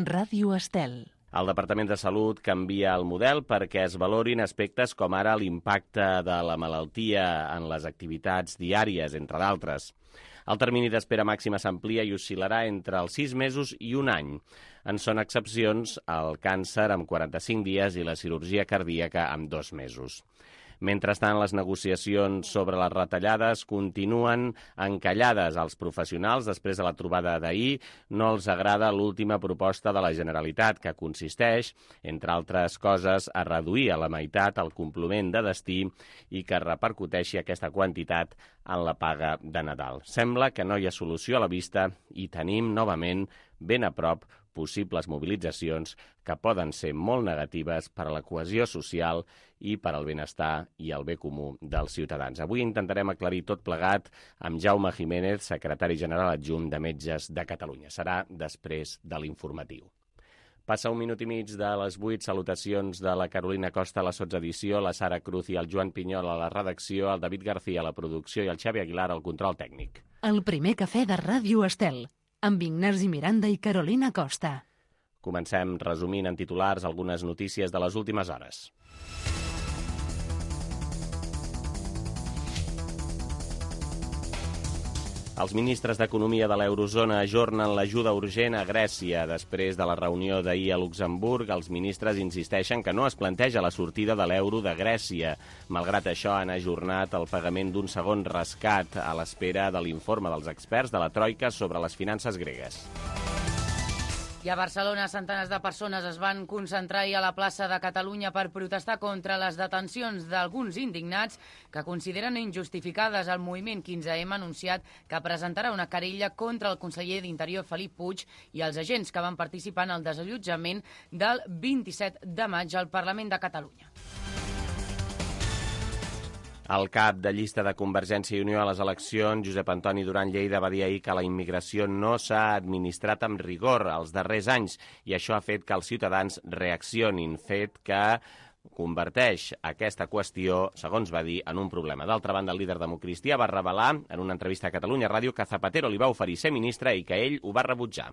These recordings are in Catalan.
Ràdio Estel. El Departament de Salut canvia el model perquè es valorin aspectes com ara l'impacte de la malaltia en les activitats diàries, entre d'altres. El termini d'espera màxima s'amplia i oscil·larà entre els 6 mesos i un any. En són excepcions el càncer amb 45 dies i la cirurgia cardíaca amb 2 mesos. Mentrestant, les negociacions sobre les retallades continuen encallades. Als professionals, després de la trobada d'ahir, no els agrada l'última proposta de la Generalitat, que consisteix, entre altres coses, a reduir a la meitat el complement de destí i que repercuteixi aquesta quantitat en la paga de Nadal. Sembla que no hi ha solució a la vista i tenim, novament, ben a prop possibles mobilitzacions que poden ser molt negatives per a la cohesió social i per al benestar i el bé comú dels ciutadans. Avui intentarem aclarir tot plegat amb Jaume Jiménez, secretari general adjunt de Metges de Catalunya. Serà després de l'informatiu. Passa un minut i mig de les 8, salutacions de la Carolina Costa a la sotsedició, la Sara Cruz i el Joan Pinyol a la redacció, el David García a la producció i el Xavi Aguilar al control tècnic. El primer cafè de Ràdio Estel, amb Ignasi Miranda i Carolina Costa. Comencem resumint en titulars algunes notícies de les últimes hores. Els ministres d'Economia de l'Eurozona ajornen l'ajuda urgent a Grècia. Després de la reunió d'ahir a Luxemburg, els ministres insisteixen que no es planteja la sortida de l'euro de Grècia. Malgrat això, han ajornat el pagament d'un segon rescat a l'espera de l'informe dels experts de la Troika sobre les finances gregues. I a Barcelona, centenars de persones es van concentrar ahir a la plaça de Catalunya per protestar contra les detencions d'alguns indignats que consideren injustificades. El moviment 15M ha anunciat que presentarà una querella contra el conseller d'Interior Felip Puig i els agents que van participar en el desallotjament del 27 de maig al Parlament de Catalunya. El cap de llista de Convergència i Unió a les eleccions, Josep Antoni Duran Lleida, va dir ahir que la immigració no s'ha administrat amb rigor els darrers anys i això ha fet que els ciutadans reaccionin, fet que converteix aquesta qüestió, segons va dir, en un problema. D'altra banda, el líder democristià va revelar en una entrevista a Catalunya Ràdio que Zapatero li va oferir ser ministre i que ell ho va rebutjar.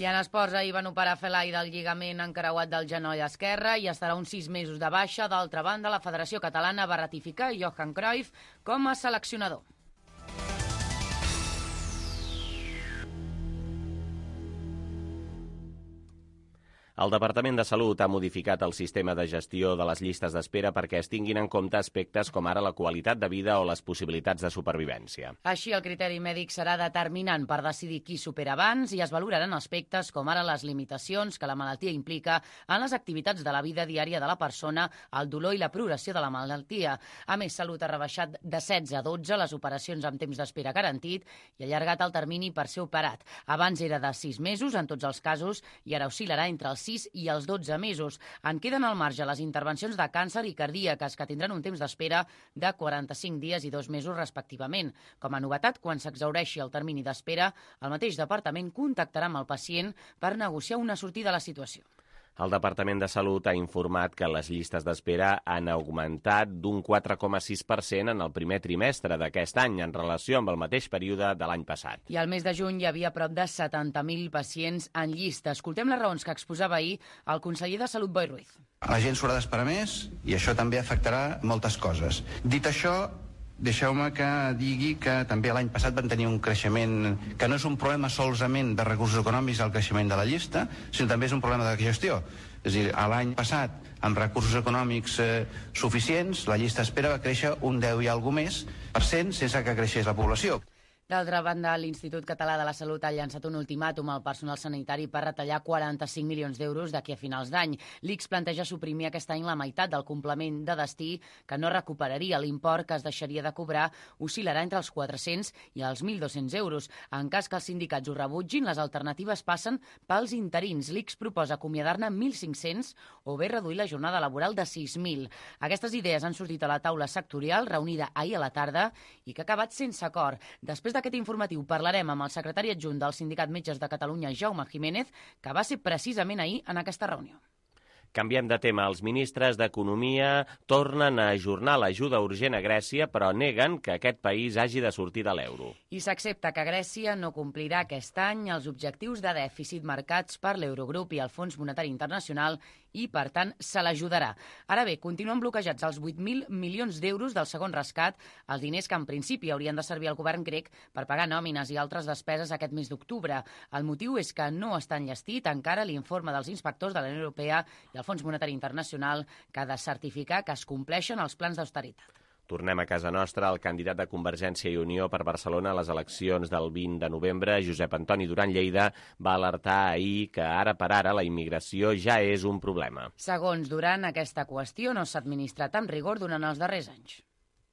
I en esports, ahir van operar Felai del lligament encreuat del genoll esquerre i estarà uns 6 mesos de baixa. D'altra banda, la Federació Catalana va ratificar Johan Cruyff com a seleccionador. El Departament de Salut ha modificat el sistema de gestió de les llistes d'espera perquè es tinguin en compte aspectes com ara la qualitat de vida o les possibilitats de supervivència. Així, el criteri mèdic serà determinant per decidir qui supera abans i es valoraran aspectes com ara les limitacions que la malaltia implica en les activitats de la vida diària de la persona, el dolor i la progressió de la malaltia. A més, Salut ha rebaixat de 16 a 12 les operacions amb temps d'espera garantit i ha allargat el termini per ser operat. Abans era de 6 mesos en tots els casos i ara oscil·larà entre els 6 i els 12 mesos. En queden al marge les intervencions de càncer i cardíaques, que tindran un temps d'espera de 45 dies i 2 mesos respectivament. Com a novetat, quan s'exhaureixi el termini d'espera, el mateix departament contactarà amb el pacient per negociar una sortida a la situació. El Departament de Salut ha informat que les llistes d'espera han augmentat d'un 4,6% en el primer trimestre d'aquest any en relació amb el mateix període de l'any passat. I al mes de juny hi havia prop de 70.000 pacients en llista. Escoltem les raons que exposava ahir el conseller de Salut, Boi Ruiz. La gent s'haurà d'esperar més i això també afectarà moltes coses. Dit això, deixeu-me que digui que també l'any passat van tenir un creixement que no és un problema solament de recursos econòmics el creixement de la llista, sinó també és un problema de gestió. És a dir, l'any passat, amb recursos econòmics suficients, la llista d'espera va créixer un 10 i alguna més per cent sense que creixés la població. D'altra banda, l'Institut Català de la Salut ha llançat un ultimàtum al personal sanitari per retallar 45 milions d'euros d'aquí a finals d'any. L'ICS planteja suprimir aquest any la meitat del complement de destí que no recuperaria. L'import que es deixaria de cobrar oscil·larà entre els 400 i els 1.200 euros. En cas que els sindicats ho rebutgin, les alternatives passen pels interins. L'ICS proposa acomiadar-ne 1.500 o bé reduir la jornada laboral de 6.000. Aquestes idees han sortit a la taula sectorial reunida ahir a la tarda i que ha acabat sense acord. Després d'aquest informatiu parlarem amb el secretari adjunt del Sindicat Metges de Catalunya, Jaume Jiménez, que va ser precisament ahir en aquesta reunió. Canviem de tema. Els ministres d'Economia tornen a ajornar l'ajuda urgent a Grècia, però neguen que aquest país hagi de sortir de l'euro. I s'accepta que Grècia no complirà aquest any els objectius de dèficit marcats per l'Eurogrup i el Fons Monetari Internacional i, per tant, se l'ajudarà. Ara bé, continuen bloquejats els 8.000 milions d'euros del segon rescat, els diners que en principi haurien de servir al govern grec per pagar nòmines i altres despeses aquest mes d'octubre. El motiu és que no està enllestit encara l'informe dels inspectors de la Unió Europea i el Fons Monetari Internacional que ha de certificar que es compleixen els plans d'austeritat. Tornem a casa nostra. El candidat de Convergència i Unió per Barcelona a les eleccions del 20 de novembre, Josep Antoni Duran Lleida, va alertar ahir que ara per ara la immigració ja és un problema. Segons Duran, aquesta qüestió no s'ha administrat amb rigor durant els darrers anys.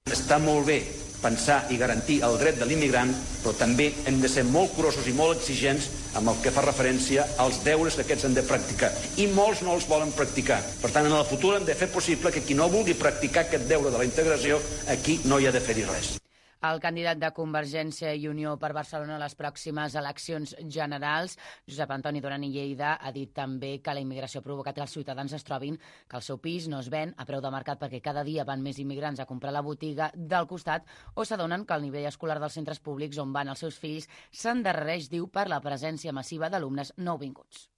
Està molt bé pensar i garantir el dret de l'immigrant, però també hem de ser molt curosos i molt exigents amb el que fa referència als deures que aquests han de practicar. I molts no els volen practicar. Per tant, en el futur hem de fer possible que qui no vulgui practicar aquest deure de la integració, aquí no hi ha de fer-hi res. El candidat de Convergència i Unió per Barcelona a les pròximes eleccions generals, Josep Antoni Duran i Lleida, ha dit també que la immigració ha provocat que els ciutadans es trobin que el seu pis no es ven a preu de mercat perquè cada dia van més immigrants a comprar la botiga del costat o s'adonen que el nivell escolar dels centres públics on van els seus fills s'endarrereix, diu, per la presència massiva d'alumnes nouvinguts.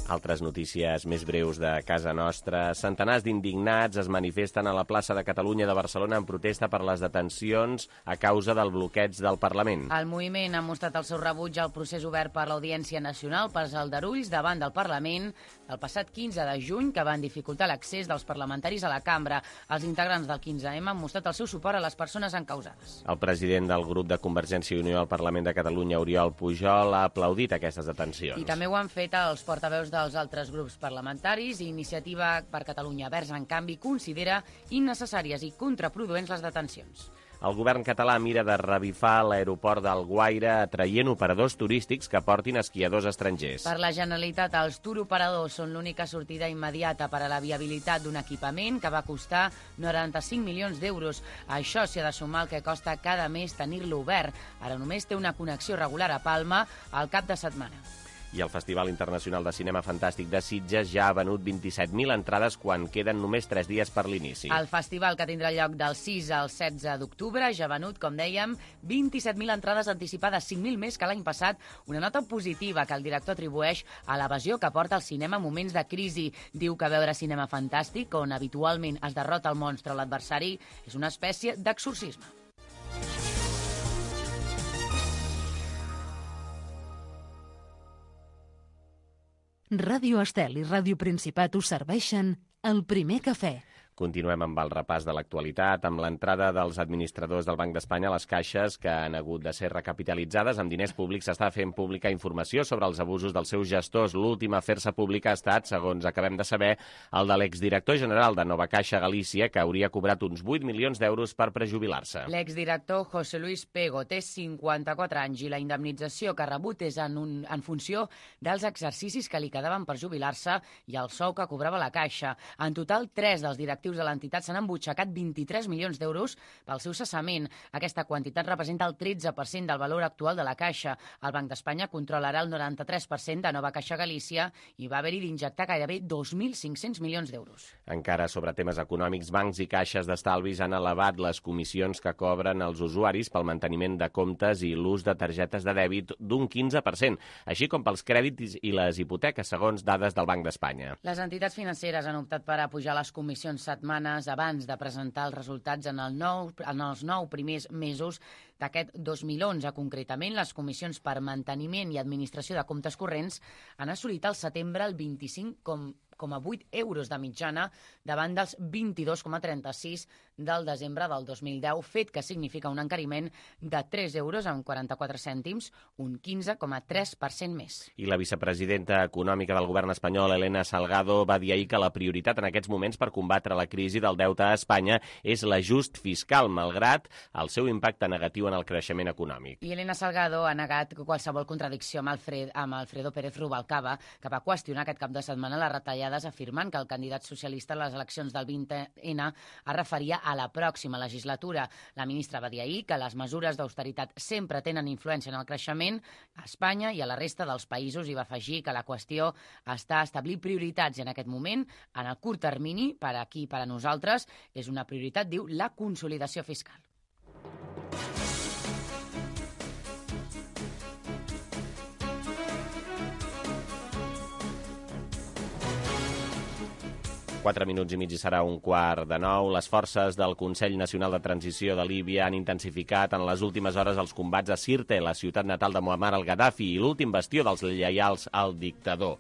Altres notícies més breus de casa nostra. Centenars d'indignats es manifesten a la plaça de Catalunya de Barcelona en protesta per les detencions a causa del bloqueig del Parlament. El moviment ha mostrat el seu rebuig al procés obert per l'Audiència Nacional pels aldarulls davant del Parlament el passat 15 de juny, que van dificultar l'accés dels parlamentaris a la cambra. Els integrants del 15M han mostrat el seu suport a les persones encausades. El president del grup de Convergència i Unió al Parlament de Catalunya, Oriol Pujol, ha aplaudit aquestes detencions. I també ho han fet els portaveus dels altres grups parlamentaris. Iniciativa per Catalunya Verds, en canvi, considera innecessàries i contraproduents les detencions. El govern català mira de revifar l'aeroport d'Alguaire atraient operadors turístics que portin esquiadors estrangers. Per la Generalitat, els turoperadors són l'única sortida immediata per a la viabilitat d'un equipament que va costar 95 milions d'euros. A això s'hi ha de sumar el que costa cada mes tenir-lo obert. Ara només té una connexió regular a Palma al cap de setmana. I el Festival Internacional de Cinema Fantàstic de Sitges ja ha venut 27.000 entrades quan queden només 3 dies per l'inici. El festival, que tindrà lloc del 6 al 16 d'octubre, ja ha venut, com dèiem, 27.000 entrades anticipades, 5.000 més que l'any passat, una nota positiva que el director atribueix a l'evasió que porta el cinema en moments de crisi. Diu que veure cinema fantàstic, on habitualment es derrota el monstre o l'adversari, és una espècie d'exorcisme. Ràdio Estel i Ràdio Principat us serveixen el primer cafè. Continuem amb el repàs de l'actualitat, amb l'entrada dels administradors del Banc d'Espanya a les caixes que han hagut de ser recapitalitzades amb diners públics. S'està fent pública informació sobre els abusos dels seus gestors. L'últim a fer-se pública ha estat, segons acabem de saber, el de l'exdirector general de Nova Caixa Galícia, que hauria cobrat uns 8 milions d'euros per prejubilar-se. L'exdirector José Luis Pego té 54 anys i la indemnització que ha rebut és en funció dels exercicis que li quedaven per jubilar-se i el sou que cobrava la Caixa. En total, 3 dels directius de l'entitat s'han embutxacat 23 milions d'euros pel seu cessament. Aquesta quantitat representa el 13% del valor actual de la Caixa. El Banc d'Espanya controlarà el 93% de Nova Caixa Galícia i va haver-hi d'injectar gairebé 2.500 milions d'euros. Encara sobre temes econòmics, bancs i caixes d'estalvis han elevat les comissions que cobren els usuaris pel manteniment de comptes i l'ús de targetes de dèbit d'un 15%, així com pels crèdits i les hipoteques, segons dades del Banc d'Espanya. Les entitats financeres han optat per apujar les comissions setmanes abans de presentar els resultats en els 9 primers mesos d'aquest 2011. Concretament, les comissions per manteniment i administració de comptes corrents han assolit al setembre el 25,8 euros de mitjana davant dels 22,36 del desembre del 2010, fet que significa un encariment de 3 euros amb 44 cèntims, un 15,3% més. I la vicepresidenta econòmica del govern espanyol, Elena Salgado, va dir ahir que la prioritat en aquests moments per combatre la crisi del deute a Espanya és l'ajust fiscal, malgrat el seu impacte negatiu en el creixement econòmic. I Elena Salgado ha negat qualsevol contradicció amb Alfredo Pérez Rubalcaba, que va qüestionar aquest cap de setmana les retallades, afirmant que el candidat socialista a les eleccions del 20N es referia a la pròxima legislatura. La ministra va dir ahir que les mesures d'austeritat sempre tenen influència en el creixement a Espanya i a la resta dels països, i va afegir que la qüestió està a establir prioritats, i en aquest moment, en el curt termini, per aquí, per a nosaltres, és una prioritat, diu, la consolidació fiscal. Quatre minuts i mig i serà 8:45. Les forces del Consell Nacional de Transició de Líbia han intensificat en les últimes hores els combats a Sirte, la ciutat natal de Muammar al-Gaddafi i l'últim bastió dels lleials al dictador.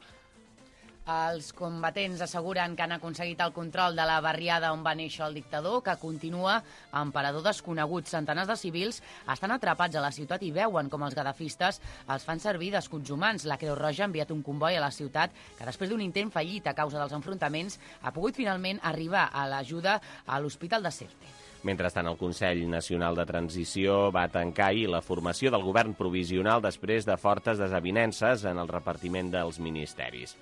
Els combatents asseguren que han aconseguit el control de la barriada on va néixer el dictador, que continua amb parador desconegut. Centenars de civils estan atrapats a la ciutat i veuen com els gadafistes els fan servir d'escuts humans. La Creu Roja ha enviat un comboi a la ciutat que, després d'un intent fallit a causa dels enfrontaments, ha pogut finalment arribar a l'ajuda a l'Hospital de Sirte. Mentrestant, el Consell Nacional de Transició va tancar ahir la formació del govern provisional després de fortes desavinences en el repartiment dels ministeris.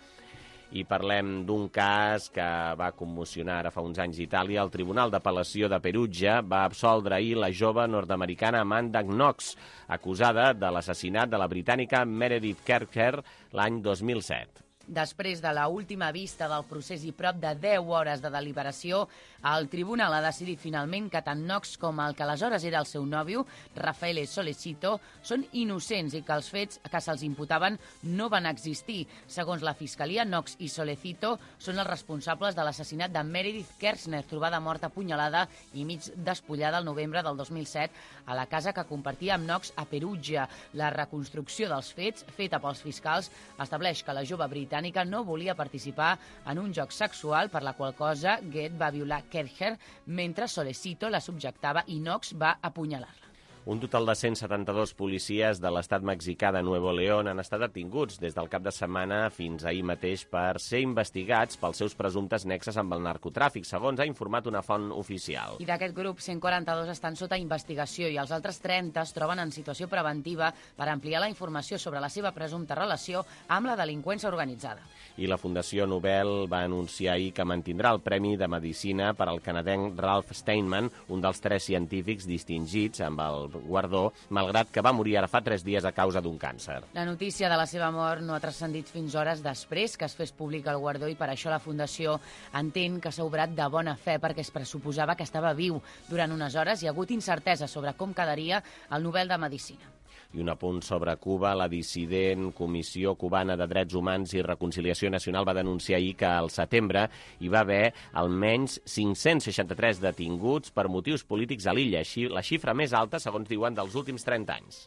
I parlem d'un cas que va commocionar ara fa uns anys Itàlia. El Tribunal d'Apel·lació de Perugia va absoldre ahir la jove nord-americana Amanda Knox, acusada de l'assassinat de la britànica Meredith Kercher l'any 2007. Després de la última vista del procés i prop de 10 hores de deliberació, el tribunal ha decidit finalment que tant Knox com el que aleshores era el seu nòvio, Raffaele Solecito, són innocents i que els fets que se'ls imputaven no van existir. Segons la Fiscalia, Knox i Solecito són els responsables de l'assassinat de Meredith Kercher, trobada morta apunyalada i mig despullada el novembre del 2007 a la casa que compartia amb Knox a Perugia. La reconstrucció dels fets, feta pels fiscals, estableix que la jove britànica no volia participar en un joc sexual, per la qual cosa Goethe va violar Kercher mentre Solecito la subjectava i Knox va apunyalar-la. Un total de 172 policies de l'estat mexicà de Nuevo León han estat detinguts des del cap de setmana fins ahir mateix per ser investigats pels seus presumptes nexes amb el narcotràfic, segons ha informat una font oficial. I d'aquest grup, 142 estan sota investigació i els altres 30 es troben en situació preventiva per ampliar la informació sobre la seva presumpta relació amb la delinqüència organitzada. I la Fundació Nobel va anunciar ahir que mantindrà el Premi de Medicina per al canadenc Ralph Steinman, un dels 3 científics distingits amb el guardó, malgrat que va morir ara fa 3 dies a causa d'un càncer. La notícia de la seva mort no ha transcendit fins hores després que es fes públic el guardó, i per això la Fundació entén que s'ha obrat de bona fe, perquè es pressuposava que estava viu. Durant unes hores hi ha hagut incertesa sobre com quedaria el Nobel de Medicina. I un apunt sobre Cuba. La dissident Comissió Cubana de Drets Humans i Reconciliació Nacional va denunciar ahir que al setembre hi va haver almenys 563 detinguts per motius polítics a l'illa, la xifra més alta, segons diuen, dels últims 30 anys.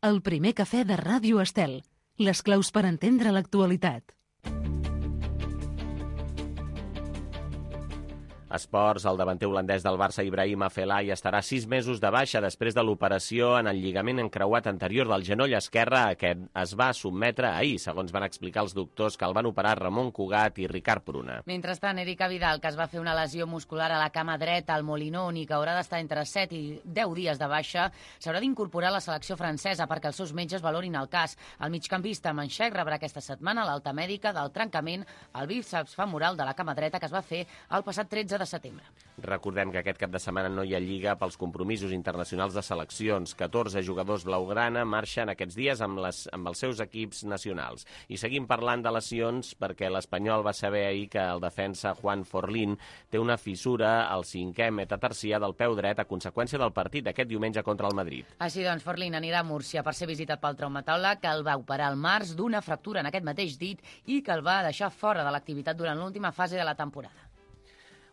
El primer cafè de Ràdio Estel. Les claus per entendre l'actualitat. Esports, el davanter holandès del Barça, Ibrahim Afellay, estarà 6 mesos de baixa després de l'operació en el lligament encreuat anterior del genoll esquerre, a què es va sotmetre ahir, segons van explicar els doctors que el van operar Ramon Cugat i Ricard Pruna. Mentrestant, Erika Vidal, que es va fer una lesió muscular a la cama dreta al Molinón i que haurà d'estar entre 7 i 10 dies de baixa, s'haurà d'incorporar a la selecció francesa perquè els seus metges valorin el cas. El migcampista manxec rebrà aquesta setmana l'alta mèdica del trencament al bíceps femoral de la cama dreta que es va fer el passat 13 de setembre. Recordem que aquest cap de setmana no hi ha lliga pels compromisos internacionals de seleccions. 14 jugadors blaugrana marxen aquests dies amb els seus equips nacionals. I seguim parlant de lesions perquè l'Espanyol va saber ahir que el defensa Juan Forlín té una fissura al 5è metatarsià del peu dret a conseqüència del partit d'aquest diumenge contra el Madrid. Així doncs, Forlín anirà a Múrcia per ser visitat pel traumatòleg, que el va operar al març d'una fractura en aquest mateix dit i que el va deixar fora de l'activitat durant l'última fase de la temporada.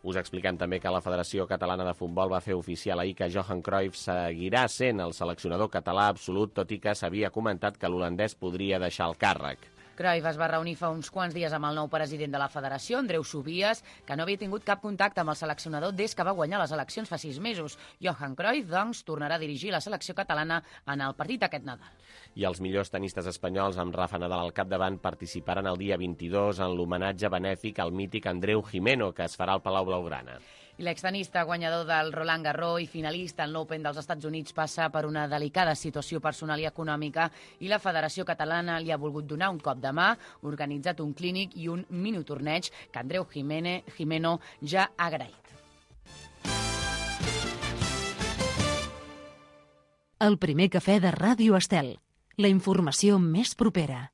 Us expliquem també que la Federació Catalana de Futbol va fer oficial ahir que Johan Cruyff seguirà sent el seleccionador català absolut, tot i que s'havia comentat que l'holandès podria deixar el càrrec. Cruyff es va reunir fa uns quants dies amb el nou president de la federació, Andreu Subies, que no havia tingut cap contacte amb el seleccionador des que va guanyar les eleccions fa 6 mesos. Johan Cruyff, doncs, tornarà a dirigir la selecció catalana en el partit aquest Nadal. I els millors tenistes espanyols, amb Rafa Nadal al capdavant, participaran el dia 22 en l'homenatge benèfic al mític Andreu Jimeno, que es farà al Palau Blaugrana. I l'extenista guanyador del Roland Garros i finalista en l'Open dels Estats Units passa per una delicada situació personal i econòmica i la Federació Catalana li ha volgut donar un cop de mà, organitzat un clínic i un minitorneig que Andreu Jimeno ja ha agraït. El primer cafè de Ràdio Estel. La informació més propera.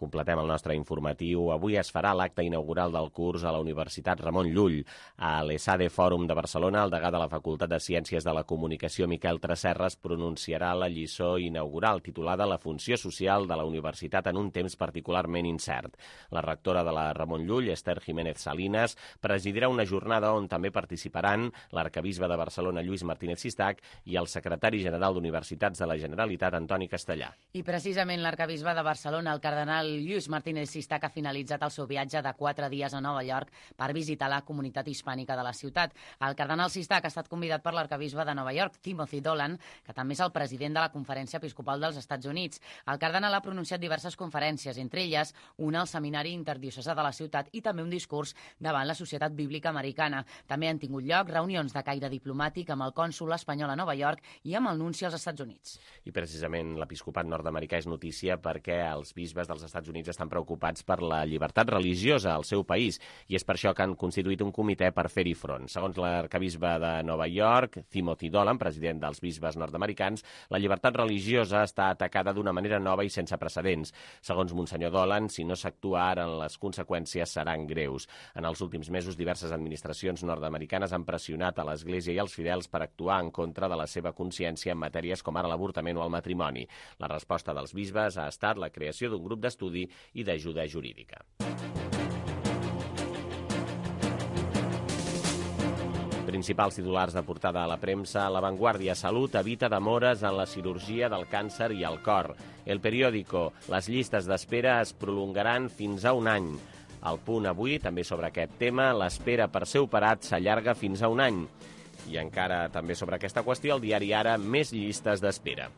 Completem el nostre informatiu. Avui es farà l'acte inaugural del curs a la Universitat Ramon Llull. A l'ESADE Fòrum de Barcelona, el degà de la Facultat de Ciències de la Comunicació, Miquel Tresserras, pronunciarà la lliçó inaugural titulada La funció social de la universitat en un temps particularment incert. La rectora de la Ramon Llull, Esther Jiménez Salinas, presidirà una jornada on també participaran l'arcabisbe de Barcelona, Lluís Martínez Sistac, i el secretari general d'Universitats de la Generalitat, Antoni Castellà. I precisament l'arcabisbe de Barcelona, el cardenal Lluís Martínez Sistac, ha finalitzat el seu viatge de 4 dies a Nova York per visitar la comunitat hispànica de la ciutat. El cardenal Sistac ha estat convidat per l'arcabisbe de Nova York, Timothy Dolan, que també és el president de la Conferència Episcopal dels Estats Units. El cardenal ha pronunciat diverses conferències, entre elles una al Seminari Interdiocesà de la ciutat i també un discurs davant la Societat Bíblica Americana. També han tingut lloc reunions de caire diplomàtic amb el cònsol espanyol a Nova York i amb el nunci als Estats Units. I precisament l'episcopat nord-americà és notícia perquè els bisbes dels Estats Units estan preocupats per la llibertat religiosa al seu país i és per això que han constituït un comitè per fer-hi front. Segons l'arcabisbe de Nova York, Timothy Dolan, president dels bisbes nord-americans, la llibertat religiosa està atacada d'una manera nova i sense precedents. Segons Monsenyor Dolan, si no s'actua ara, les conseqüències seran greus. En els últims mesos, diverses administracions nord-americanes han pressionat a l'Església i als fidels per actuar en contra de la seva consciència en matèries com ara l'avortament o el matrimoni. La resposta dels bisbes ha estat la creació d'un grup d'estudi i d'ajuda jurídica. Principals titulars de portada a la premsa: La Vanguardia, Salut evita demores en la cirurgia del càncer i el cor. El Periódico, les llistes d'espera es prolongaran fins a un any. El Punt avui, també sobre aquest tema, l'espera per ser operat s'allarga fins a un any. I encara també sobre aquesta qüestió, el diari Ara, més llistes d'espera.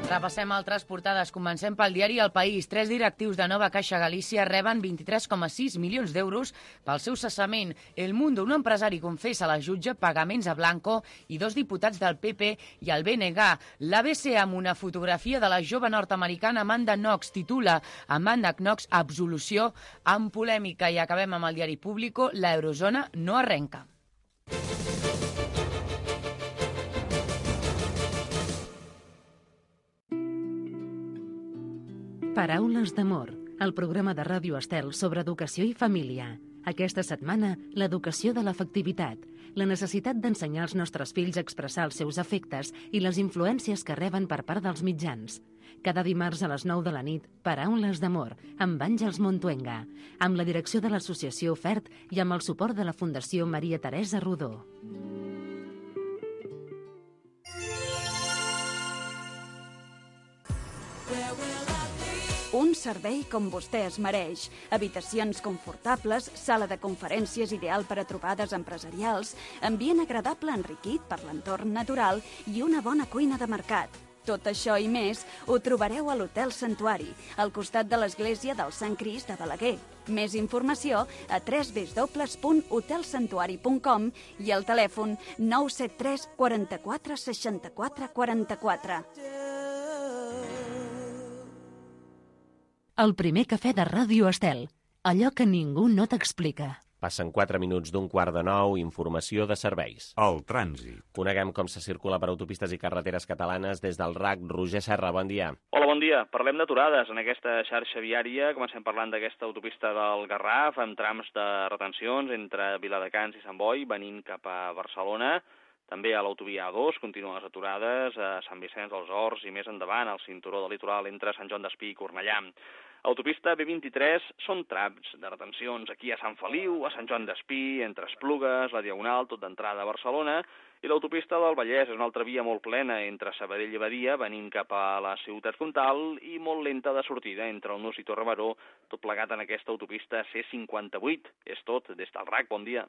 Repassem altres portades. Comencem pel diari El País. 3 directius de Nova Caixa Galícia reben 23,6 milions d'euros pel seu cessament. El Mundo, un empresari confessa a la jutge pagaments a Blanco i 2 diputats del PP i el BNG. L'ABC, amb una fotografia de la jove nord-americana Amanda Knox, titula Amanda Knox, absolució amb polèmica. I acabem amb el diari Público. La eurozona no arrenca. Paraules d'amor, el programa de Ràdio Estel sobre educació i família. Aquesta setmana, l'educació de l'afectivitat, la necessitat d'ensenyar als nostres fills a expressar els seus afectes i les influències que reben per part dels mitjans. Cada dimarts a les 9 de la nit, Paraules d'amor, amb Àngels Montuenga, amb la direcció de l'associació FERT i amb el suport de la Fundació Maria Teresa Rodó. Un servei com vostè es mereix. Habitacions confortables, sala de conferències ideal per a trobades empresarials, ambient agradable enriquit per l'entorn natural i una bona cuina de mercat. Tot això i més ho trobareu a l'Hotel Santuari, al costat de l'església del Sant Crist de Balaguer. Més informació a www.hotelsantuari.com i al telèfon 973 44 64 44. El primer cafè de Ràdio Estel, allò que ningú no t'explica. Passen 4 minuts d'un 8:45, informació de serveis. El trànsit. Coneguem com se circula per autopistes i carreteres catalanes des del RAC. Roger Serra, bon dia. Hola, bon dia. Parlem d'aturades en aquesta xarxa viària. Comencem parlant d'aquesta autopista del Garraf, amb trams de retencions entre Viladecans i Sant Boi, venint cap a Barcelona. També a l'autovia A2 continuen les aturades a Sant Vicenç dels Horts i més endavant al cinturó del litoral entre Sant Joan d'Espí i Cornellà. Autopista B23 són trams de retencions aquí a Sant Feliu, a Sant Joan d'Espí, entre Esplugues, la Diagonal, tot d'entrada a Barcelona, i l'autopista del Vallès és una altra via molt plena entre Sabadell i Badia, venint cap a la ciutat comtal, i molt lenta de sortida entre el Nus i Torre Baró, tot plegat en aquesta autopista C58. És tot, des del RAC, bon dia.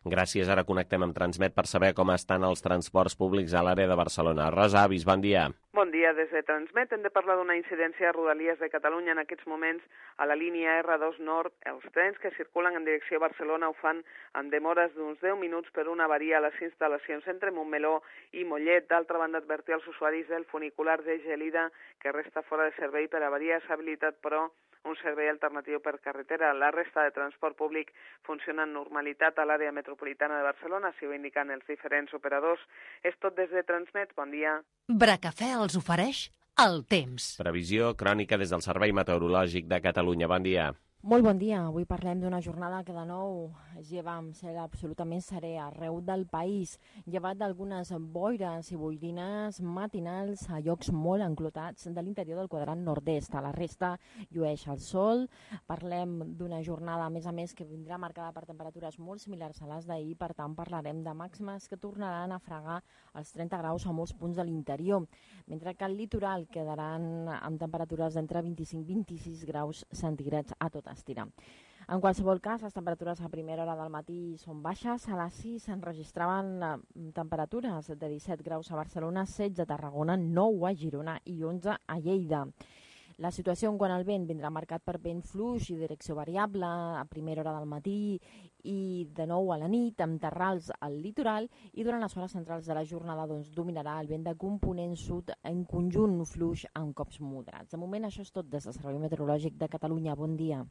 Gràcies, ara connectem amb Transmet per saber com estan els transports públics a l'àrea de Barcelona. Rosa Avis, bon dia. Bon dia, des de Transmet hem de parlar d'una incidència a Rodalies de Catalunya. En aquests moments, a la línia R2 Nord, els trens que circulen en direcció a Barcelona ho fan amb demores d'uns 10 minuts per una avaria a les instal·lacions entre Montmeló i Mollet. D'altra banda, advertir als usuaris del funicular de Gelida que resta fora de servei per avaria. S'ha habilitat, però, un servei alternatiu per carretera. La resta de transport públic funciona amb normalitat a l'àrea metropolitana de Barcelona, si ho indiquen els diferents operadors. És tot des de Transmet. Bon dia. Bracafè els ofereix el temps. Previsió crònica des del Servei Meteorològic de Catalunya. Bon dia. Molt bon dia. Avui parlem d'una jornada que de nou es lleva amb cel absolutament serè arreu del país, llevat d'algunes boires i boirines matinals a llocs molt enclotats de l'interior del quadrant nord-est. A la resta llueix el sol. Parlem d'una jornada, a més, que vindrà marcada per temperatures molt similars a les d'ahir. Per tant, parlarem de màximes que tornaran a fregar els 30 graus a molts punts de l'interior, mentre que al litoral quedaran amb temperatures d'entre 25 i 26 graus centígrads a tot estirar. En qualsevol cas, les temperatures a primera hora del matí són baixes. A les 6 s'enregistraven temperatures de 17 graus a Barcelona, 16 a Tarragona, 9 a Girona i 11 a Lleida. La situació en quant al vent vindrà marcat per vent fluix i direcció variable a primera hora del matí i de nou a la nit, amb terrals al litoral, i durant les hores centrals de la jornada dominarà el vent de component sud en conjunt fluix amb cops moderats. De moment això és tot des del Servei Meteorològic de Catalunya. Bon dia.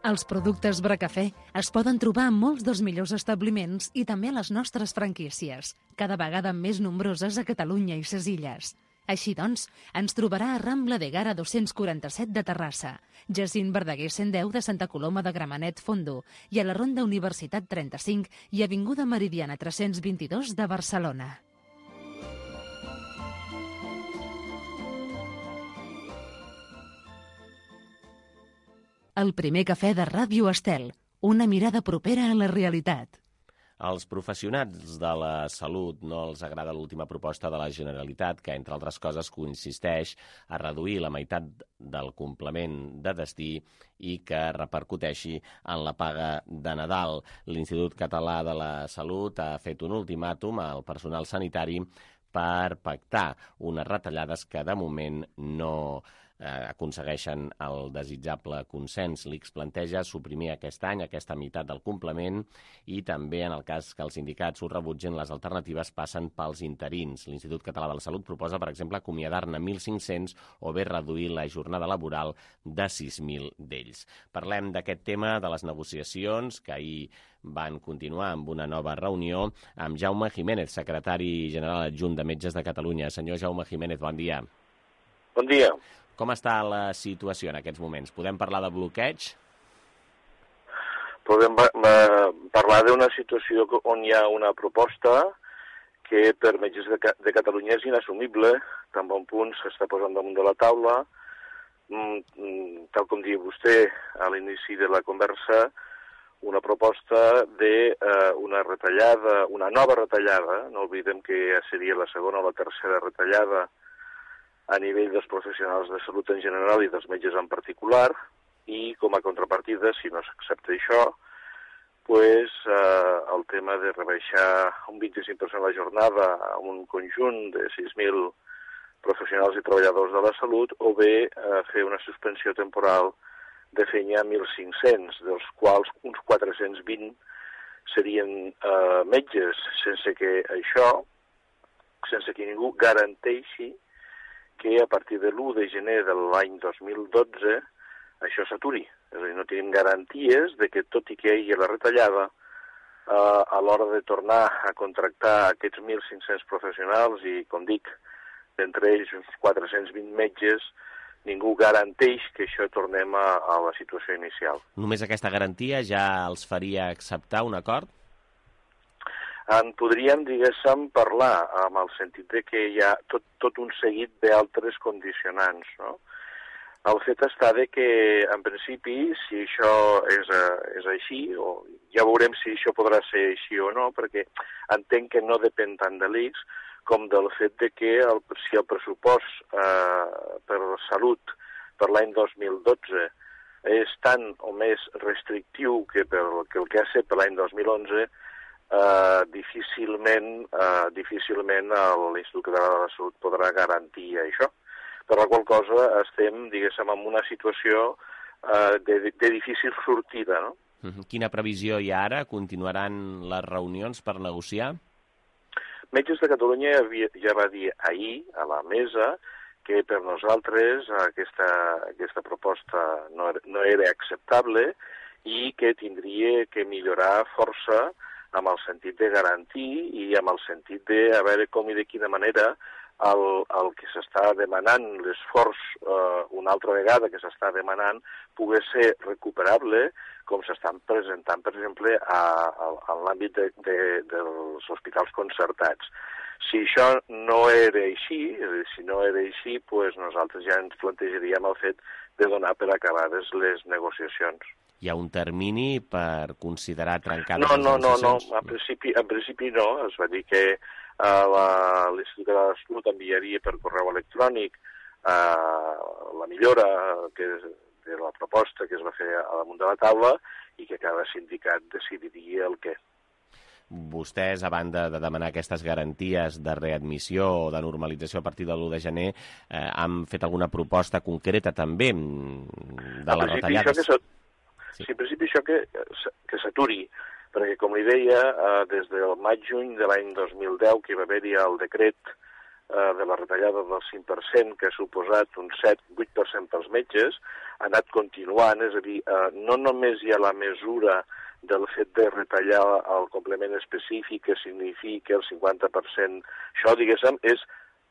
Els productes Bracafè es poden trobar en molts dels millors establiments i també a les nostres franquícies, cada vegada més nombroses a Catalunya i ses illes. Així doncs, ens trobarà a Rambla de Gara 247 de Terrassa, Jacint Verdaguer 110 de Santa Coloma de Gramenet Fondo i a la Ronda Universitat 35 i Avinguda Meridiana 322 de Barcelona. El primer cafè de Ràdio Estel, una mirada propera a la realitat. Als professionals de la salut no els agrada l'última proposta de la Generalitat, que, entre altres coses, consisteix a reduir la meitat del complement de destí i que repercuteixi en la paga de Nadal. L'Institut Català de la Salut ha fet un ultimàtum al personal sanitari per pactar unes retallades que, de moment, no aconsegueixen el desitjable consens. L'ICS planteja suprimir aquest any aquesta meitat del complement i també, en el cas que els sindicats ho rebutgen, les alternatives passen pels interins. L'Institut Català de la Salut proposa, per exemple, acomiadar-ne 1.500 o bé reduir la jornada laboral de 6.000 d'ells. Parlem d'aquest tema, de les negociacions, que ahir van continuar amb una nova reunió amb Jaume Jiménez, secretari general adjunt de Metges de Catalunya. Senyor Jaume Jiménez, bon dia. Bon dia. Com està la situació en aquests moments? Podem parlar de bloqueig? Podem parlar d'una situació on hi ha una proposta que per Metges de Catalunya és inassumible, tan bon punt s'està posant damunt de la taula. Tal com diu vostè a l'inici de la conversa, una proposta d'una retallada, una nova retallada, no oblidem que ja seria la segona o la tercera retallada a nivell dels professionals de salut en general i dels metges en particular, i com a contrapartida, si no s'accepta això, el tema de rebaixar un 25% la jornada a un conjunt de 6.000 professionals i treballadors de la salut, o bé fer una suspensió temporal de feina a 1.500, dels quals uns 420 serien metges, sense que ningú garanteixi que a partir de l'1 de gener de l'any 2012 això s'aturi. És a dir, no tenim garanties de que, tot i que hi hagi la retallada, a l'hora de tornar a contractar aquests 1.500 professionals i, com dic, d'entre ells uns 420 metges, ningú garanteix que això tornem a la situació inicial. Només aquesta garantia ja els faria acceptar un acord? En podríem, diguéssim, parlar amb el sentit de que hi ha tot un seguit d'altres condicionants, no? El fet està de que, en principi, si això és així, o ja veurem si això podrà ser així o no, perquè entenc que no depèn tant de l'ICS com del fet de que si el pressupost per salut per l'any 2012 és tan o més restrictiu que el que ha set per l'any 2011, difícilment l'Institut Català de la Salut podrà garantir això. Per la qual cosa estem, diguéssim, en una situació de difícil sortida, no? Quina previsió hi ha ara? Continuaran les reunions per negociar? Metges de Catalunya ja va dir ahir a la mesa que per nosaltres aquesta proposta no era acceptable i que tindria que millorar força amb el sentit de garantir i amb el sentit de a veure com i de quina manera el que s'està demanant, l'esforç una altra vegada que s'està demanant, pugui ser recuperable, com s'estan presentant, per exemple, en l'àmbit dels hospitals concertats. Si això no era així, doncs nosaltres ja ens plantejaríem el fet de donar per acabades les negociacions. Hi ha un termini per considerar trencades les negociacions? No. En principi no. Es va dir que l'Institut Català de la Salut enviaria per correu electrònic la millora de la proposta que es va fer a damunt de la taula i que cada sindicat decidiria el què. Vostès, a banda de demanar aquestes garanties de readmissió o de normalització a partir de l'1 de gener, han fet alguna proposta concreta també de les retallades? En principi això que s'aturi, perquè com li deia, des del maig-juny de l'any 2010 que va haver-hi el decret de la retallada del 5%, que ha suposat un 7-8% pels metges, ha anat continuant, és a dir, no només hi ha la mesura del fet de retallar el complement específic que significa el 50%, això, diguéssim, és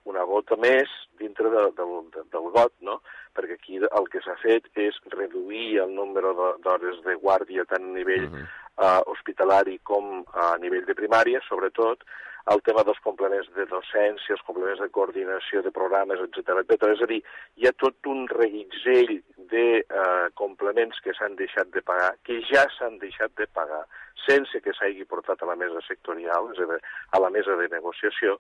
una gota més dintre del got, no? Perquè aquí el que s'ha fet és reduir el nombre d'hores de guàrdia tant a nivell hospitalari com a nivell de primària, sobretot, el tema dels complements de docència, els complements de coordinació de programes, etc. És a dir, hi ha tot un reguitzell de complements que s'han deixat de pagar, que ja s'han deixat de pagar, sense que s'hagi portat a la mesa sectorial, és a dir, a la mesa de negociació,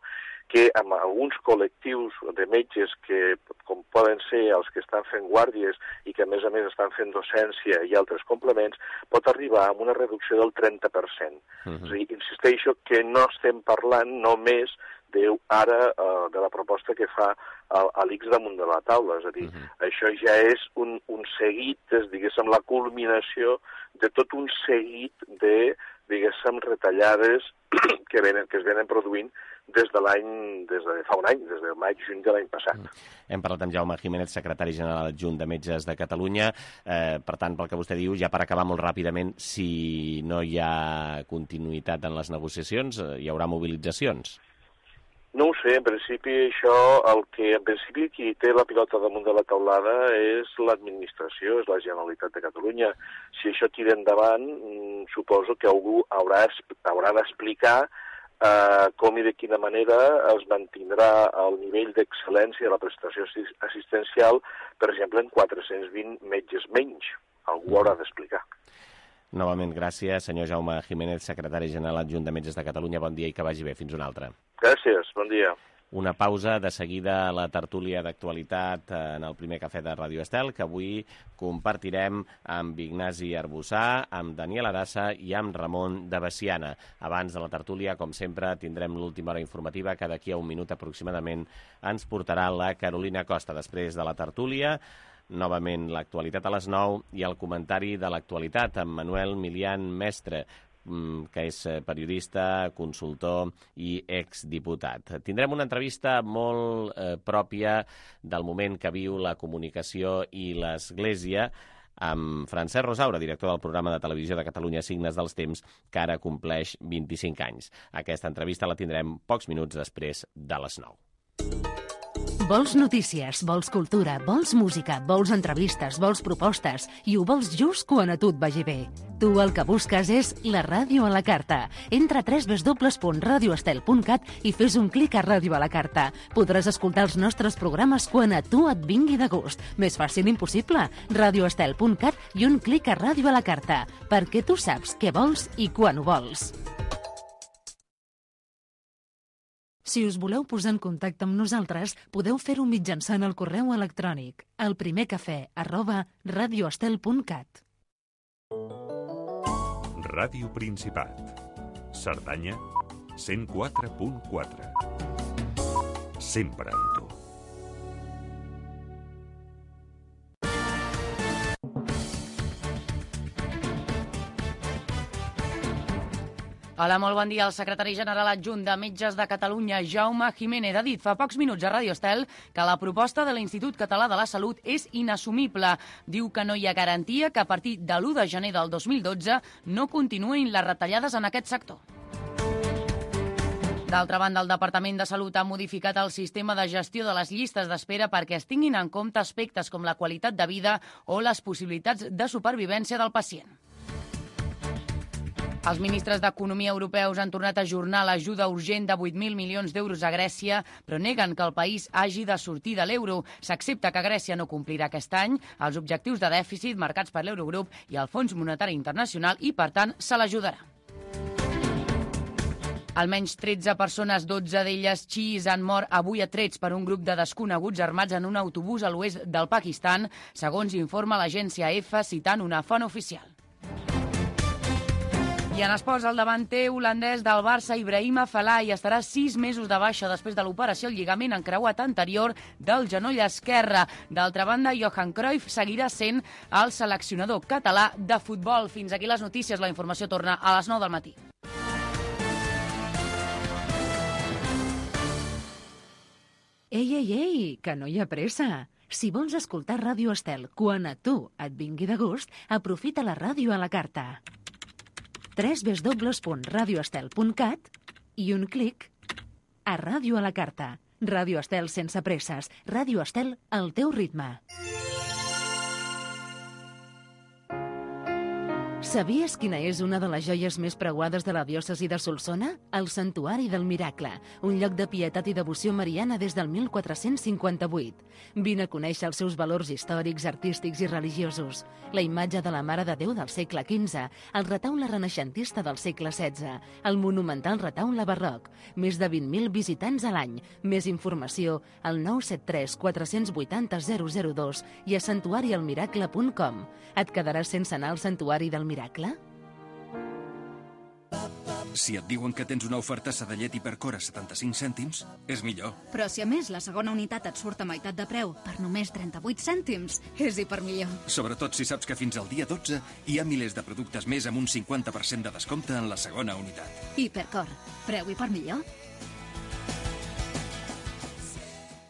que amb alguns col·lectius de metges que, com poden ser els que estan fent guàrdies i que a més estan fent docència i altres complements, pot arribar a una reducció del 30%. És a dir, insisteixo que no estem parlant només ara de la proposta que fa l'ICS damunt de la taula, és a dir, això ja és un seguit, diguéssim, la culminació de tot un seguit de, diguéssim, retallades que es venen produint des de fa un any, des del maig-juny de l'any passat. Hem parlat amb Jaume Jiménez, secretari general adjunt de Metges de Catalunya. Per tant, pel que vostè diu, ja per acabar molt ràpidament, si no hi ha continuïtat en les negociacions, hi haurà mobilitzacions? No ho sé, en principi qui té la pilota damunt de la taulada és l'administració, és la Generalitat de Catalunya. Si això tira endavant, suposo que algú haurà d'explicar com i de quina manera es mantindrà el nivell d'excel·lència de la prestació assistencial, per exemple, en 420 metges menys. Algú haurà d'explicar. Novament, gràcies, senyor Jaume Jiménez, secretari general adjunt de Metges de Catalunya. Bon dia i que vagi bé. Fins una altra. Gràcies, bon dia. Una pausa, de seguida la tertúlia d'actualitat en el primer cafè de Ràdio Estel, que avui compartirem amb Ignasi Arbussà, amb Daniel Arassa i amb Ramon de Veciana. Abans de la tertúlia, com sempre, tindrem l'última hora informativa, que d'aquí a un minut aproximadament ens portarà la Carolina Costa. Després de la tertúlia, novament l'actualitat a les 9 i el comentari de l'actualitat amb Manuel Milian Mestre, que és periodista, consultor i exdiputat. Tindrem una entrevista molt pròpia del moment que viu la comunicació i l'Església amb Francesc Rosaura, director del programa de televisió de Catalunya Signes dels Temps, que ara compleix 25 anys. Aquesta entrevista la tindrem pocs minuts després de les 9. Vols notícies, vols cultura, vols música, vols entrevistes, vols propostes i ho vols just quan a tu et vagi bé. Tu el que busques és la ràdio a la carta. Entra a www.radioestel.cat i fes un clic a Ràdio a la carta. Podràs escoltar els nostres programes quan a tu et vingui de gust. Més fàcil impossible. Radioestel.cat i un clic a Ràdio a la carta, perquè tu saps què vols i quan ho vols. Si us voleu posar en contacte amb nosaltres, podeu fer-ho mitjançant el correu electrònic elprimercafè@radioestel.cat. Ràdio Principat. Cerdanya, 104.4. Sempre amb tu. Hola, molt bon dia. El secretari general adjunt de Metges de Catalunya, Jaume Jiménez, ha dit fa pocs minuts a Radio Estel que la proposta de l'Institut Català de la Salut és inassumible. Diu que no hi ha garantia que a partir de l'1 de gener del 2012 no continuïn les retallades en aquest sector. D'altra banda, el Departament de Salut ha modificat el sistema de gestió de les llistes d'espera perquè es tinguin en compte aspectes com la qualitat de vida o les possibilitats de supervivència del pacient. Els ministres d'Economia europeus han tornat a ajornar l'ajuda urgent de 8.000 milions d'euros a Grècia, però neguen que el país hagi de sortir de l'euro. S'accepta que Grècia no complirà aquest any els objectius de dèficit marcats per l'Eurogrup i el Fons Monetari Internacional i, per tant, se l'ajudarà. Almenys 13 persones, 12 d'elles xiís, han mort avui a trets per un grup de desconeguts armats en un autobús a l'oest del Pakistan, segons informa l'agència EFA citant una font oficial. I en esports, el davanter holandès del Barça, Ibrahima Falai, estarà 6 mesos de baixa després de l'operació al lligament encreuat anterior del genoll esquerre. D'altra banda, Johan Cruyff seguirà sent el seleccionador català de futbol. Fins aquí les notícies. La informació torna a les 9 del matí. Ei, que no hi ha pressa. Si vols escoltar Ràdio Estel quan a tu et vingui de gust, aprofita la ràdio a la carta. www.radioestel.cat i un clic a Ràdio a la carta. Ràdio Estel sense presses. Ràdio Estel al teu ritme. Sabies quina és una de les joies més preuades de la diòcesi de Solsona? El Santuari del Miracle, un lloc de pietat i devoció mariana des del 1458. Vine a conèixer els seus valors històrics, artístics i religiosos. La imatge de la Mare de Déu del segle XV, el retaule renaixentista del segle XVI, el monumental retaule barroc, més de 20.000 visitants a l'any. Més informació al 973 480 002 i a santuarialmiracle.com. Et quedaràs sense anar al Santuari del Miracle? Si et diuen que tens una oferta Sedellet Hipercore a 75 cèntims, és millor. Però si a més la segona unitat et surt a meitat de preu per només 38 cèntims, és hipermillor. Sobretot si saps que fins al dia 12 hi ha milers de productes més amb un 50% de descompte en la segona unitat. Hipercore. Preu hipermillor.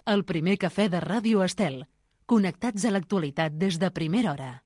El primer cafè de Ràdio Estel. Connectats a l'actualitat des de primera hora.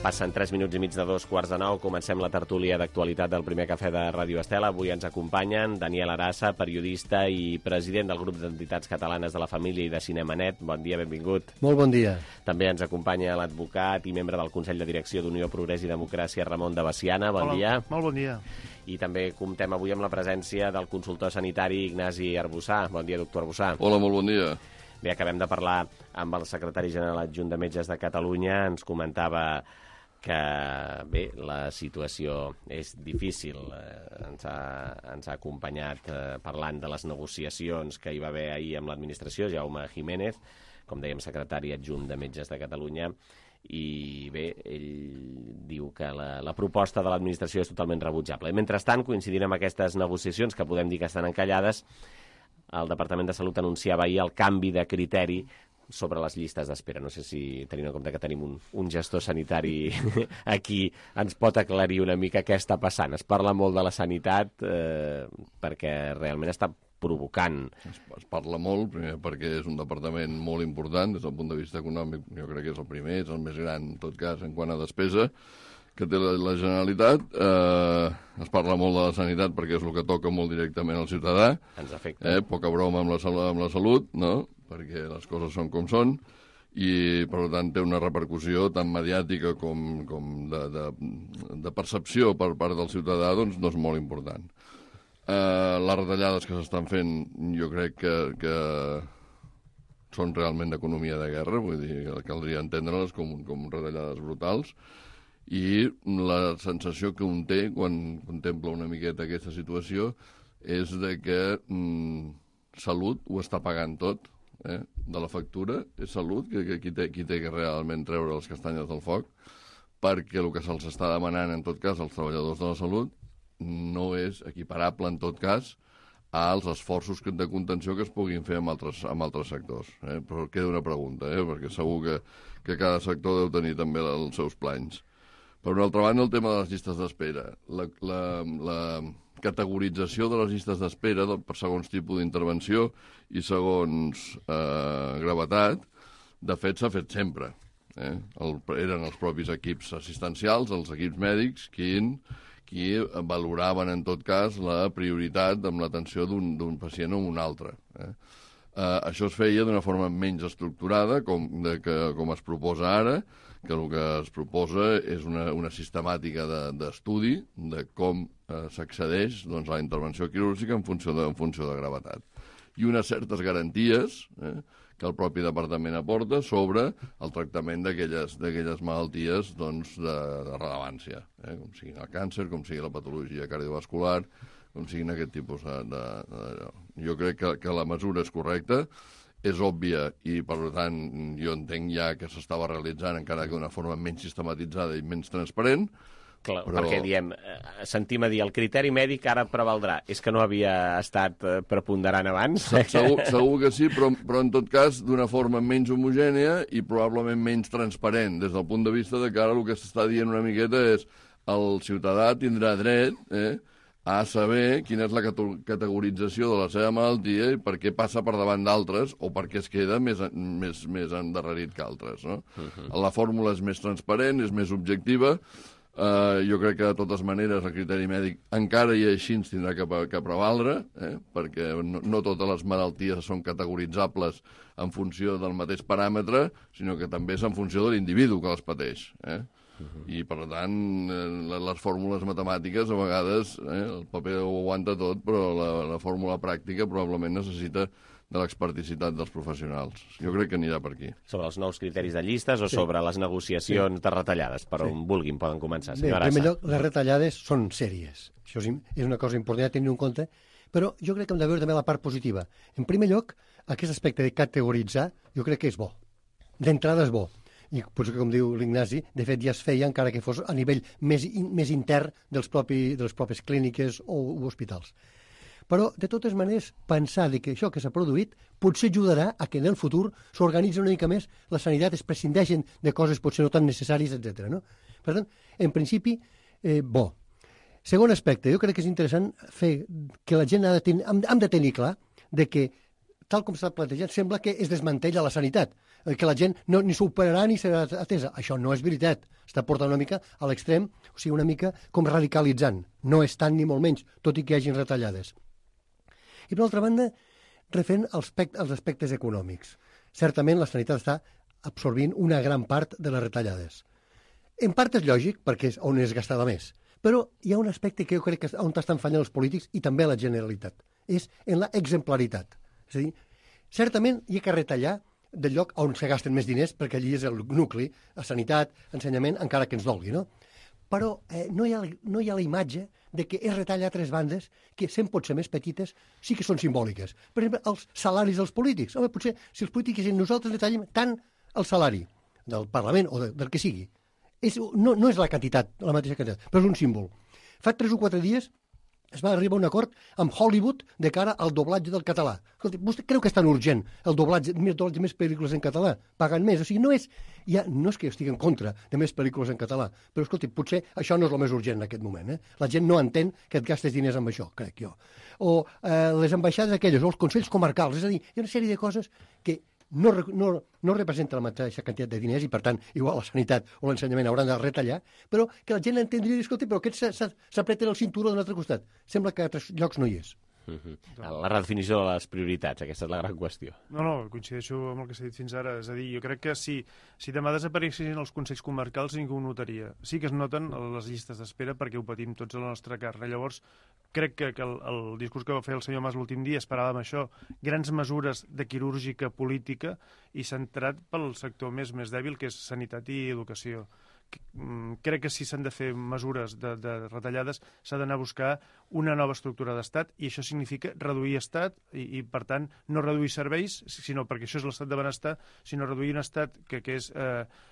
Passen 3 minuts i mig de 2:45. Comencem la tertúlia d'actualitat del primer cafè de Ràdio Estel. Avui ens acompanyen Daniel Arassa, periodista i president del grup d'entitats catalanes de la família i de Cinemanet. Bon dia, benvingut. Molt bon dia. També ens acompanya l'advocat i membre del Consell de Direcció d'Unió Progrés i Democràcia, Ramon de Baciana. Bon dia. Molt bon dia. I també comptem avui amb la presència del consultor sanitari Ignasi Arbussà. Bon dia, doctor Arbussà. Hola, molt bon dia. Bé, acabem de parlar amb el secretari general adjunt de Metges de Catalunya. Ens comentava que, bé, la situació és difícil. Ens ha acompanyat parlant de les negociacions que hi va haver ahir amb l'administració, Jaume Jiménez, com dèiem, secretari adjunt de Metges de Catalunya, i bé, ell diu que la proposta de l'administració és totalment rebutjable. I mentrestant, coincidint amb aquestes negociacions, que podem dir que estan encallades, el Departament de Salut anunciava ahir el canvi de criteri sobre les llistes d'espera. No sé si, tenint en compte que tenim un gestor sanitari aquí, ens pot aclarir una mica què està passant. Es parla molt de la sanitat perquè realment està provocant. Es parla molt, primer perquè és un departament molt important des del punt de vista econòmic. Jo crec que és el primer, és el més gran, en tot cas, en quant a despesa que té la Generalitat. Es parla molt de la sanitat perquè és el que toca molt directament al ciutadà. Ens afecta. Poca broma amb la salut, no?, perquè les coses són com són, i per tant té una repercussió tant mediàtica com de percepció per part del ciutadà, doncs no és molt important. Les retallades que s'estan fent jo crec que són realment d'economia de guerra, vull dir, caldria entendre-les com retallades brutals, i la sensació que un té quan contempla una miqueta aquesta situació és de que Salut ho està pagant tot, de la factura, és Salut qui té que realment treure les castanyes del foc, perquè el que se'ls està demanant en tot cas als treballadors de la salut no és equiparable en tot cas als esforços de contenció que es puguin fer amb altres sectors. Però queda una pregunta, perquè segur que cada sector deu tenir també els seus plans. Per una altra banda, el tema de les llistes d'espera. La categorització de les llistes d'espera per segons tipus d'intervenció i segons gravetat, de fet, s'ha fet sempre. Eren els propis equips assistencials, els equips mèdics, qui valoraven, en tot cas, la prioritat amb l'atenció d'un pacient o un altre. Això es feia d'una forma menys estructurada, com es proposa ara, que el que es proposa és una sistemàtica d'estudi de com s'accedeix a la intervenció quirúrgica en funció de gravetat. I unes certes garanties que el propi departament aporta sobre el tractament d'aquelles malalties de rellevància, com siguin el càncer, com sigui la patologia cardiovascular, com siguin aquest tipus de... Jo crec que la mesura és correcta, és òbvia i, per tant, jo entenc ja que s'estava realitzant encara que d'una forma menys sistematitzada i menys transparent. Clar, però... perquè diem, sentim a dir, el criteri mèdic ara prevaldrà. És que no havia estat preponderant abans? Segur que sí, però en tot cas d'una forma menys homogènia i probablement menys transparent, des del punt de vista de que ara el que s'està dient una miqueta és el ciutadà tindrà dret a saber quina és la categorització de la seva malaltia i per què passa per davant d'altres o per què es queda més endarrerit que altres. No? La fórmula és més transparent, és més objectiva. Jo crec que, de totes maneres, el criteri mèdic encara i així ens tindrà que prevaldre, perquè no totes les malalties són categoritzables en funció del mateix paràmetre, sinó que també és en funció de l'individu que les pateix. I, per tant, les fórmules matemàtiques, a vegades, el paper ho aguanta tot, però la fórmula pràctica probablement necessita de l'experticitat dels professionals. Jo crec que anirà per aquí. Sobre els nous criteris de llistes o sobre les negociacions de retallades? Per on vulguin, poden començar. Bé, en primer lloc, les retallades són sèries. Això és una cosa important a tenir en compte, però jo crec que hem de veure també la part positiva. En primer lloc, aquest aspecte de categoritzar, jo crec que és bo. D'entrada és bo. I potser, com diu l'Ignasi, de fet ja es feia, encara que fos a nivell més intern de les pròpies clíniques o hospitals. Però, de totes maneres, pensar que això que s'ha produït potser ajudarà a que en el futur s'organitzi una mica més la sanitat, es prescindeixen de coses potser no tan necessàries, etc. No? Per tant, en principi, bo. Segon aspecte, jo crec que és interessant fer que la gent hem de tenir clar de que, tal com s'ha plantejat, sembla que es desmantella la sanitat, que la gent ni s'operarà ni serà atesa. Això no és veritat. Està portant una mica a l'extrem, o sigui, una mica com radicalitzant. No és tant ni molt menys, tot i que hi hagin retallades. I, per altra banda, referent als aspectes econòmics. Certament, la sanitat està absorbint una gran part de les retallades. En part és lògic, perquè és on és gastada més. Però hi ha un aspecte que jo crec que on estan fallant els polítics i també la Generalitat. És en la exemplaritat. És a dir, certament hi ha que retallar del lloc on se gasten més diners, perquè allí és el nucli, a sanitat, ensenyament, encara que ens dolgui, no? Però no hi ha la imatge de que es retalla a tres bandes que, sent potser més petites, sí que són simbòliques. Per exemple, els salaris dels polítics. Home, potser, si els polítics i nosaltres retallem tant el salari del Parlament o del que sigui, no és la quantitat, la mateixa quantitat, però és un símbol. Fa 3 o 4 dies es va arribar a un acord amb Hollywood de cara al doblatge del català. Escolti, vostè creu que és tan urgent el doblatge més pel·lícules en català? Pagant més. O sigui, no és que jo estigui en contra de més pel·lícules en català, però, escolti, potser això no és el més urgent en aquest moment. La gent no entén que et gastes diners amb això, crec jo. O les ambaixades aquelles, o els consells comarcals. És a dir, hi ha una sèrie de coses que no representa la mateixa quantitat de diners i, per tant, igual la sanitat o l'ensenyament hauran de retallar, però que la gent entendria i dir, escolta, però aquests s'apreten el cinturó d'un altre costat. Sembla que a altres llocs no hi és. La redefinició de les prioritats, aquesta és la gran qüestió. No, coincideixo amb el que s'ha dit fins ara. És a dir, jo crec que si demà desapareguessin els consells comarcals ningú ho notaria. Sí que es noten les llistes d'espera perquè ho patim tots a la nostra carn. Llavors, crec que el discurs que va fer el senyor Mas l'últim dia esperava amb això grans mesures de quirúrgica política i centrat pel sector més dèbil, que és sanitat i educació. Crec que si s'han de fer mesures de retallades s'ha d'anar a buscar una nova estructura d'estat i això significa reduir estat i per tant, no reduir serveis, sinó perquè això és l'estat de benestar, sinó reduir un estat que és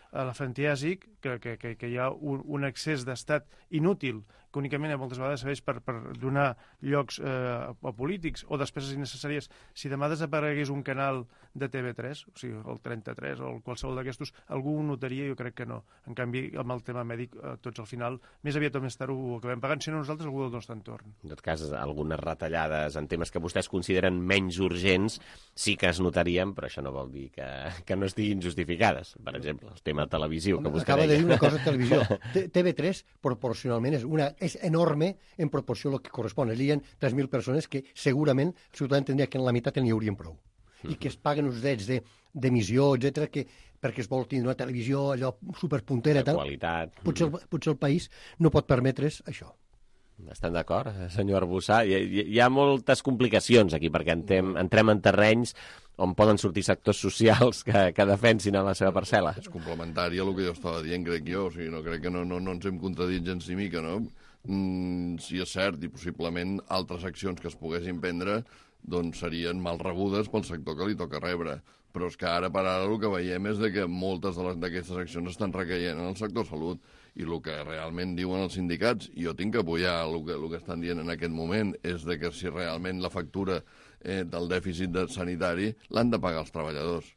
elefantiàsic, que hi ha un excés d'estat inútil, que únicament moltes vegades serveix per donar llocs a polítics o despeses innecessàries. Si demà desaparegués un canal de TV3, o sigui, el 33 o qualsevol d'aquestos, algú ho notaria? Jo crec que no. En canvi, amb el tema mèdic, tots al final, més aviat o més tard ho acabem pagant, si no nosaltres, algú del nostre entorn. En tot cas, algunes retallades en temes que vostès consideren menys urgents sí que es notarien, però això no vol dir que no estiguin justificades. Per exemple, el tema televisiu que vostè deia. Acaba de dir una cosa de televisió. TV3, proporcionalment, és enorme en proporció al que correspon. Hi ha 3.000 persones que segurament el ciutadà entendria que en la meitat n'hi haurien prou. I que es paguen uns drets d'emissió, etc perquè es vol tindre una televisió allò superpuntera. De qualitat. Potser el país no pot permetre's això. Estan d'acord, senyor Arbussà? Hi ha moltes complicacions aquí, perquè entrem en terrenys on poden sortir sectors socials que defensin a la seva parcel·la. És complementari a el que jo estava dient, crec jo. O sigui, no crec que no ens hem contradit gens ni mica, no? Sí, és cert, i possiblement altres accions que es poguessin prendre doncs serien mal rebudes pel sector que li toca rebre. Però és que ara per ara el que veiem és que moltes d'aquestes accions estan recaient en el sector salut. I el que realment diuen els sindicats, i jo tinc que apoyar el que estan dient en aquest moment, és que si realment la factura del dèficit sanitari l'han de pagar els treballadors.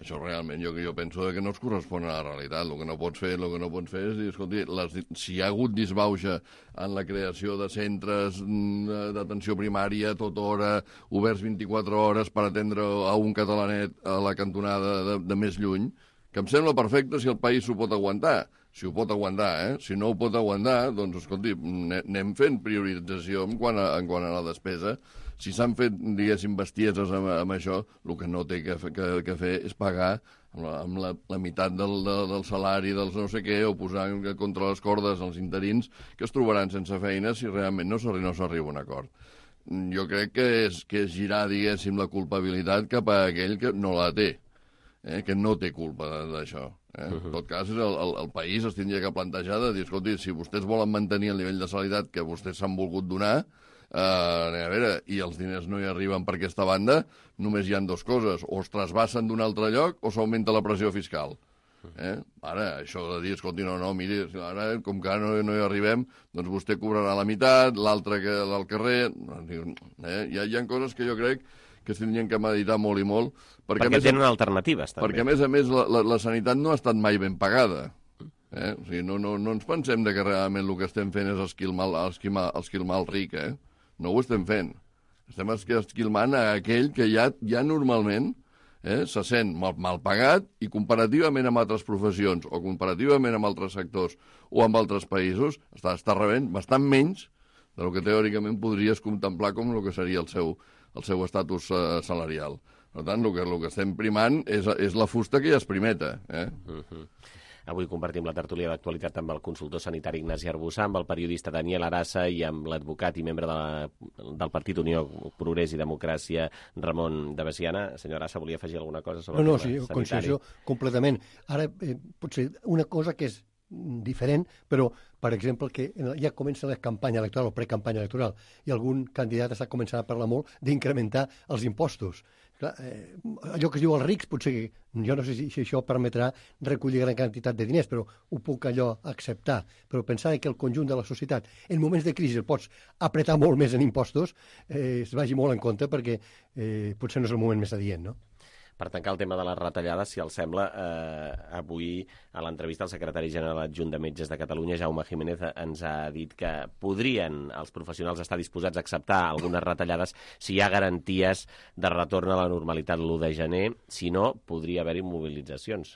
Això realment jo penso que no es correspon a la realitat. El que no pots fer és dir, escolti, si hi ha hagut disbauxa en la creació de centres d'atenció primària tota hora, oberts 24 hores per atendre a un catalanet a la cantonada de més lluny, que em sembla perfecte si el país s'ho pot aguantar. Si ho pot aguantar, Si no ho pot aguantar, doncs, escolti, anem fent priorització en quant a la despesa. Si s'han fet, diguéssim, bestieses amb això, el que no té que fer és pagar amb la meitat del salari dels no sé què, o posar contra les cordes els interins que es trobaran sense feina si realment no s'arriba a un acord. Jo crec que és girar, diguéssim, la culpabilitat cap a aquell que no la té, que no té culpa d'això. En tot cas, el país es tindria que plantejar de dir, escolti, si vostès volen mantenir el nivell de sanitat que vostès s'han volgut donar, a veure, i els diners no hi arriben per aquesta banda, només hi ha dues coses, o es trasbassen d'un altre lloc o s'augmenta la pressió fiscal. Ara, això de dir, escolti, no, miri, ara, com que ara no hi arribem, doncs vostè cobrarà la meitat, l'altre que al carrer... Hi ha coses que jo crec que es tindrien que meditar molt i molt. Perquè tenen alternatives, també. Perquè, a més, la sanitat no ha estat mai ben pagada. O sigui, no ens pensem que realment el que estem fent és esquilmar el ric, No ho estem fent. Estem esquilmant a aquell que ja normalment se sent mal pagat i comparativament amb altres professions o comparativament amb altres sectors o amb altres països està rebent bastant menys del que teòricament podries contemplar com el que seria el seu estatus salarial. Per tant, el que estem primant és la fusta que ja es primeta. Avui compartim la tertúlia d'actualitat amb el consultor sanitari Ignasi Arbussà, amb el periodista Daniel Arassa i amb l'advocat i membre del Partit Unió, Progrés i Democràcia, Ramon de Veciana. Senyor Arassa, volia afegir alguna cosa sobre el tema sanitari? No, coincideixo completament. Ara, potser una cosa que és diferent, però, per exemple, que ja comença la campanya electoral o precampanya electoral i algun candidat està començant a parlar molt d'incrementar els impostos. Clar, allò que es diu els rics, potser que jo no sé si això permetrà recollir gran quantitat de diners, però ho puc allò acceptar. Però pensar que el conjunt de la societat, en moments de crisi, el pots apretar molt més en impostos, es vagi molt en compte perquè potser no és el moment més adient, no? Per tancar el tema de les retallades, si els sembla, avui a l'entrevista el secretari general adjunt de Metges de Catalunya, Jaume Jiménez, ens ha dit que podrien els professionals estar disposats a acceptar algunes retallades si hi ha garanties de retorn a la normalitat l'1 de gener. Si no, podria haver-hi mobilitzacions.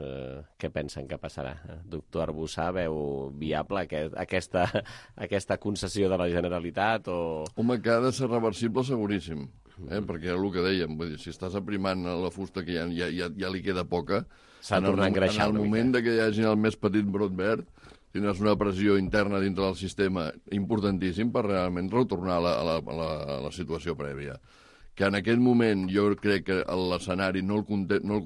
Què pensen que passarà? Doctor Arbussà, veu viable aquesta concessió de la Generalitat? Home, que ha de ser reversible seguríssim. Perquè era el que dèiem, vull dir, si estàs aprimant la fusta que ja li queda poca, en el moment que hi hagi el més petit brot verd, tindràs una pressió interna dintre del sistema importantíssim per realment retornar a la situació prèvia. Que en aquest moment jo crec que l'escenari no el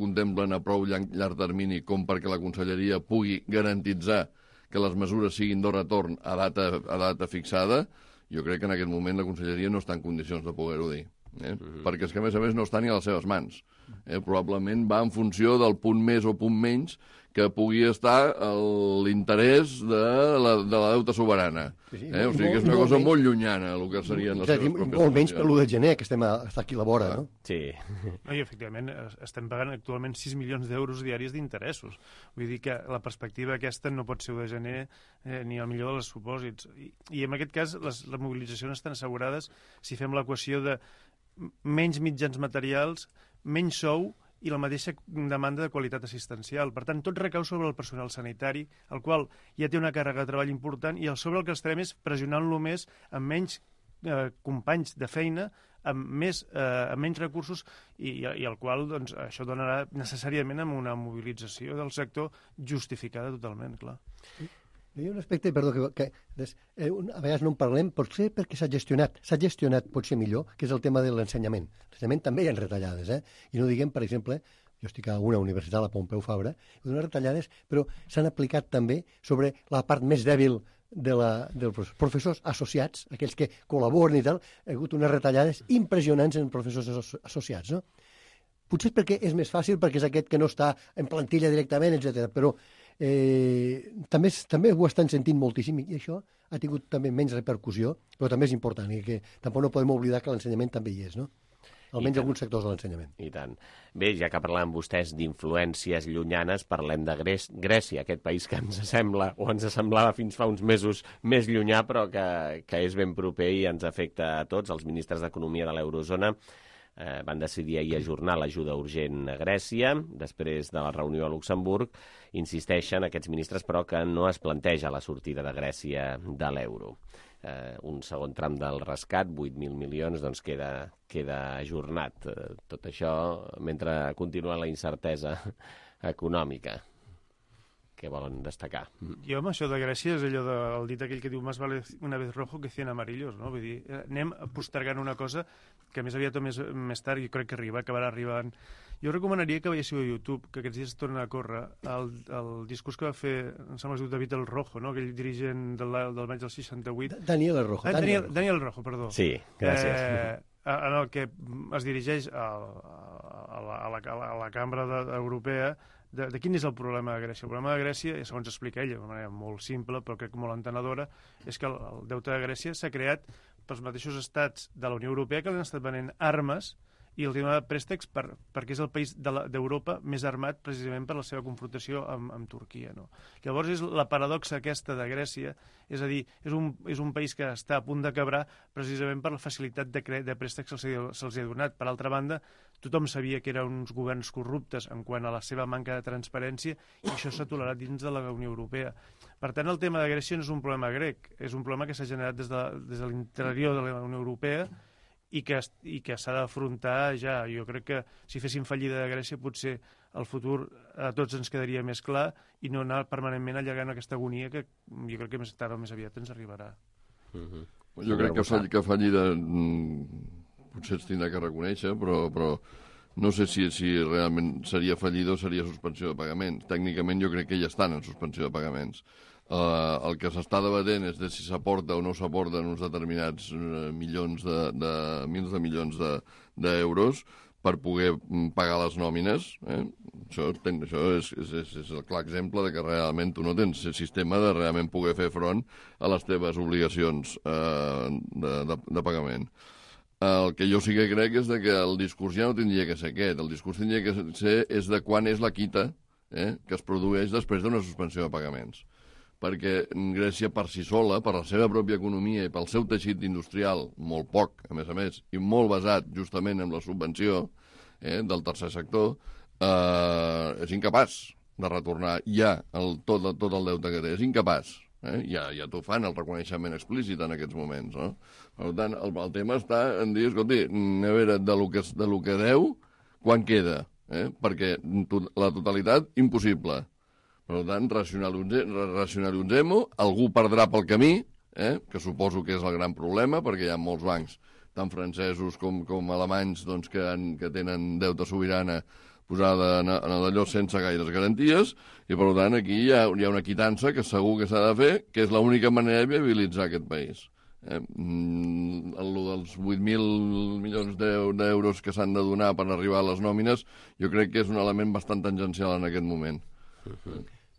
contemplen a prou llarg termini com perquè la Conselleria pugui garantitzar que les mesures siguin de retorn a data fixada, jo crec que en aquest moment la Conselleria no està en condicions de poder-ho dir. Perquè és que, a més, no està ni a les seves mans. Probablement va en funció del punt més o punt menys que pugui estar l'interès de la deuta soberana. O sigui que és una cosa molt llunyana el que serien les seves pròpies... Molt menys per l'1 de gener, que està aquí a la vora, no? Sí. I, efectivament, estem pagant actualment 6 milions d'euros diaris d'interessos. Vull dir que la perspectiva aquesta no pot ser 1 de gener ni el millor dels supòsits. I en aquest cas, les mobilitzacions estan assegurades si fem l'equació de menys mitjans materials, menys sou i la mateixa demanda de qualitat assistencial. Per tant, tot recau sobre el personal sanitari, el qual ja té una càrrega de treball important i sobre el que estarem és pressionant-lo més amb menys companys de feina, amb menys recursos i el qual doncs, això donarà necessàriament amb una mobilització del sector justificada totalment, clar. Hi ha un aspecte, perdó, que a vegades no en parlem, potser perquè s'ha gestionat potser millor, que és el tema de l'ensenyament. L'ensenyament també hi ha retallades, i no diguem, per exemple, jo estic a una universitat, la Pompeu Fabra, hi ha unes retallades, però s'han aplicat també sobre la part més dèbil dels professors associats, aquells que col·laboren i tal, hi ha hagut unes retallades impressionants en professors associats, no? Potser perquè és més fàcil, perquè és aquest que no està en plantilla directament, etc. Però també ho estan sentint moltíssim i això ha tingut també menys repercussió, però també és important i que tampoc no podem oblidar que l'ensenyament també hi és, no? Almenys alguns sectors de l'ensenyament. I tant. Bé, ja que parlàvem vostès d'influències llunyanes, parlem de Grècia, aquest país que ens sembla, o ens semblava fins fa uns mesos més llunyà, però que és ben proper i ens afecta a tots. Els ministres d'Economia de l'Eurozona van decidir ahir ajornar l'ajuda urgent a Grècia, després de la reunió a Luxemburg. Insisteixen aquests ministres, però, que no es planteja la sortida de Grècia de l'euro. Un segon tram del rescat, 8.000 milions, doncs queda ajornat. Tot això mentre continua la incertesa econòmica. Què volen destacar? Jo amb això de Grècia és allò del dit aquell que diu más vale una vez rojo que 100 amarillos, no? Vull dir, anem postergant una cosa que més aviat o més tard jo crec que acabarà arribant. Jo recomanaria que veiéssiu a YouTube, que aquests dies torna a córrer, el discurs que va fer, em sembla que es diu David El Rojo, no? Aquell dirigent del maig del 68. Daniel El Rojo. Daniel El Rojo, perdó. Sí, gràcies. En el que es dirigeix a la cambra europea de quin és el problema de Grècia. El problema de Grècia, segons explica ell, d'una manera molt simple, però crec que molt entenedora, és que el deute de Grècia s'ha creat pels mateixos estats de la Unió Europea que li han estat venent armes i els han donat préstecs perquè és el país d'Europa més armat precisament per la seva confrontació amb Turquia. No? Llavors és la paradoxa aquesta de Grècia, és a dir, és un país que està a punt de quebrar precisament per la facilitat de préstecs que se'ls ha donat. Per altra banda, tothom sabia que eren uns governs corruptes en quant a la seva manca de transparència i això s'ha tolerat dins de la Unió Europea. Per tant, el tema de Grècia no és un problema grec, és un problema que s'ha generat des de l'interior de la Unió Europea i que s'ha d'afrontar ja. Jo crec que si féssim fallida de Grècia potser el futur a tots ens quedaria més clar i no anar permanentment allargant aquesta agonia que jo crec que més tard o més aviat ens arribarà. Jo crec que fallida potser es tindrà que reconèixer, però no sé si realment seria fallida o seria suspensió de pagaments. Tècnicament jo crec que ja estan en suspensió de pagaments. El que s'està debatent és de si s'aporta o no s'aporten uns determinats mils de milions d'euros, per poder pagar les nòmines. Això és el clar exemple de que realment tu no tens sistema de realment poder fer front a les teves obligacions de pagament. El que jo sí que crec és que el discurs ja no tindria que ser aquest. El discurs tindria que ser és de quan és la quita que es produeix després d'una suspensió de pagaments. Perquè Grècia per si sola, per la seva pròpia economia i pel seu teixit industrial, molt poc, a més, i molt basat justament en la subvenció del tercer sector, és incapaç de retornar ja tot el deute que té. És incapaç. Ja t'ho fan, el reconeixement explícit en aquests moments. No? Per tant, el tema està en dir, escolti, a veure, de lo que deu, quan queda? Perquè la totalitat, impossible. Per tant, racionalitzem-ho, algú perdrà pel camí, que suposo que és el gran problema, perquè hi ha molts bancs, tant francesos com alemanys, doncs, que tenen deute sobirana posada en allò sense gaires garanties, i per tant aquí hi ha una quitança que segur que s'ha de fer, que és l'única manera de viabilitzar aquest país. Dels 8.000 milions d'euros que s'han de donar per arribar a les nòmines, jo crec que és un element bastant tangencial en aquest moment.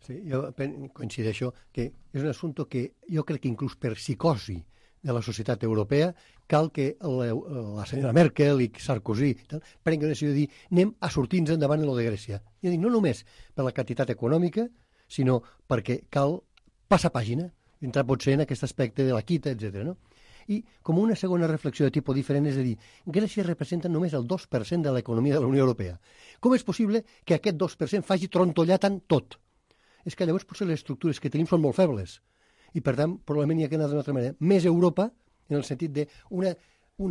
Sí, jo coincideixo que és un assumpte que jo crec que inclús per psicosi de la societat europea cal que la senyora Merkel i Sarkozy prenguin una decisió de dir anem a sortir-nos endavant en lo de Grècia. I no només per la quantitat econòmica, sinó perquè cal passar pàgina, entrar potser en aquest aspecte de la quita, etc. No? I com una segona reflexió de tipus diferent és a dir, Grècia representa només el 2% de l'economia de la Unió Europea. Com és possible que aquest 2% faci trontollar tant tot? És que llavors potser les estructures que tenim són molt febles. I per tant, probablement hi ha que anar d'una altra manera. Més Europa, en el sentit de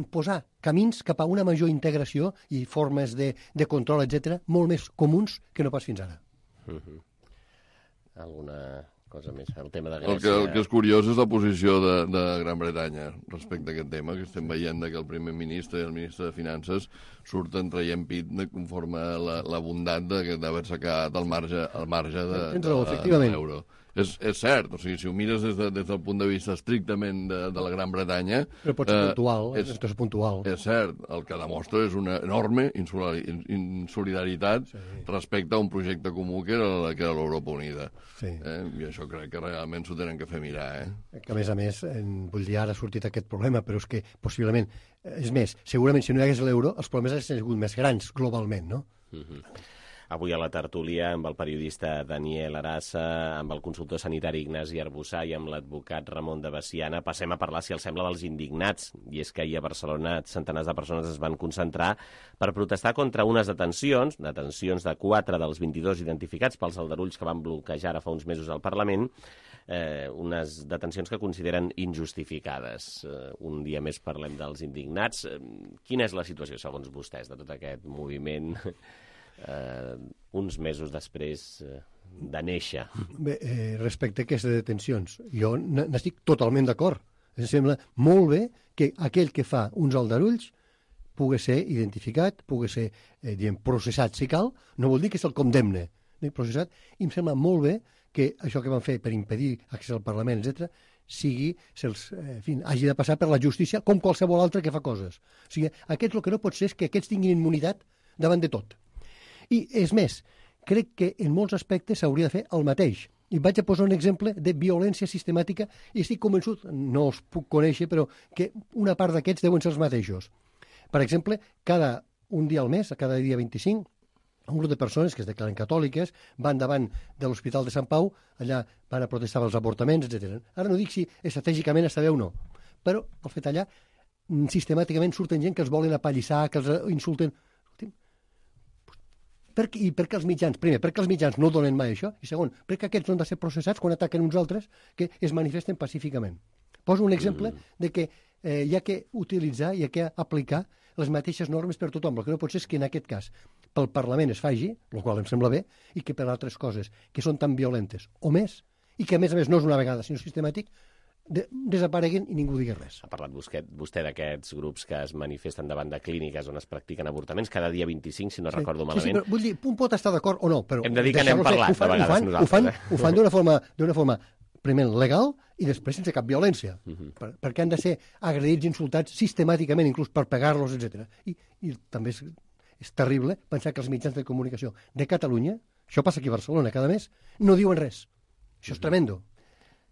posar camins cap a una major integració i formes de control, etc., molt més comuns que no pas fins ara. Alguna cosa més? El tema de Grècia... El que és curiós és la posició de Gran Bretanya respecte a aquest tema, que estem veient que el primer ministre i el ministre de Finances surten traient pit conforme la bondat d'haver-se quedat al marge de l'euro. És cert, o sigui, si ho mires des del punt de vista estrictament de la Gran Bretanya... Però pot ser puntual. És cert, el que demostra és una enorme insolidaritat respecte a un projecte comú que era l'Europa Unida. I això crec que realment s'ho tenen que fer mirar. Que a més, vull dir, ara ha sortit aquest problema, però és que possiblement... És més, segurament si no hi hagués l'euro, els problemes haurien sigut més grans globalment, no? Avui a la tertúlia amb el periodista Daniel Arassa, amb el consultor sanitari Ignasi Arbussà i amb l'advocat Ramon de Veciana passem a parlar, si els sembla, dels indignats. I és que ahir a Barcelona centenars de persones es van concentrar per protestar contra unes detencions de 4 dels 22 identificats pels aldarulls que van bloquejar ara fa uns mesos al Parlament, unes detencions que consideren injustificades. Un dia més parlem dels indignats. Quina és la situació, segons vostès, de tot aquest moviment uns mesos després de néixer? Bé, respecte a aquestes detencions, jo n'estic totalment d'acord. Em sembla molt bé que aquell que fa uns aldarulls pugui ser identificat, pugui ser processat si cal, no vol dir que se'l condemne, processat, i em sembla molt bé que això que van fer per impedir accés al Parlament, etc., hagi de passar per la justícia com qualsevol altre que fa coses. O sigui, aquests el que no pot ser és que aquests tinguin immunitat davant de tot. I, és més, crec que en molts aspectes s'hauria de fer el mateix. I vaig a posar un exemple de violència sistemàtica i estic convençut, no els puc conèixer, però que una part d'aquests deuen ser els mateixos. Per exemple, un dia al mes, cada dia 25, un grup de persones que es declaren catòliques van davant de l'Hospital de Sant Pau, allà van a protestar pels avortaments, etc. Ara no dic si estratègicament està bé o no, però el fet allà, sistemàticament surten gent que els volen apallissar, que els insulten. I per què els mitjans? Primer, perquè els mitjans no donen mai això, i segon, perquè aquests no han de ser processats quan ataquen uns altres que es manifesten pacíficament. Poso un exemple de que hi ha que utilitzar, hi ha que aplicar les mateixes normes per tothom. El que no pot ser és que en aquest cas pel Parlament es faci, el qual em sembla bé, i que per altres coses que són tan violentes o més, i que a més no és una vegada sinó sistemàtic, desapareguen i ningú digui res. Ha parlat vostè d'aquests grups que es manifesten davant de clíniques on es practiquen avortaments cada dia 25, si no recordo malament. Sí, però vull dir, un pot estar d'acord o no, però... Hem de dir que n'hem parlat de vegades nosaltres. Ho fan d'una forma primer legal i després sense cap violència, perquè han de ser agredits i insultats sistemàticament, inclús per pegar-los, etc. I també és terrible pensar que els mitjans de comunicació de Catalunya, això passa aquí a Barcelona cada mes, no diuen res. Això és tremendo.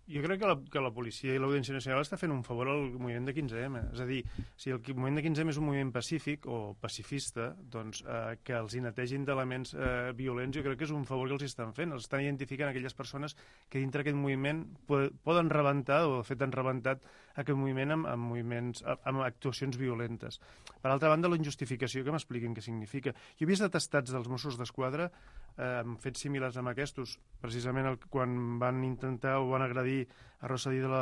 Jo crec que la policia i l'Audiència Nacional està fent un favor al moviment de 15M. És a dir, si el moviment de 15M és un moviment pacífic o pacifista, doncs que els hi netegin d'elements violents jo crec que és un favor que els estan fent. Els estan identificant aquelles persones que dintre aquest moviment poden rebentar, o de fet han rebentat aquest moviment amb actuacions violentes. Per altra banda, la injustificació, que m'expliquin què significa. Jo he vist atestats dels Mossos d'Esquadra amb fets similars amb aquests, precisament quan van intentar o van agredir a Rosselló a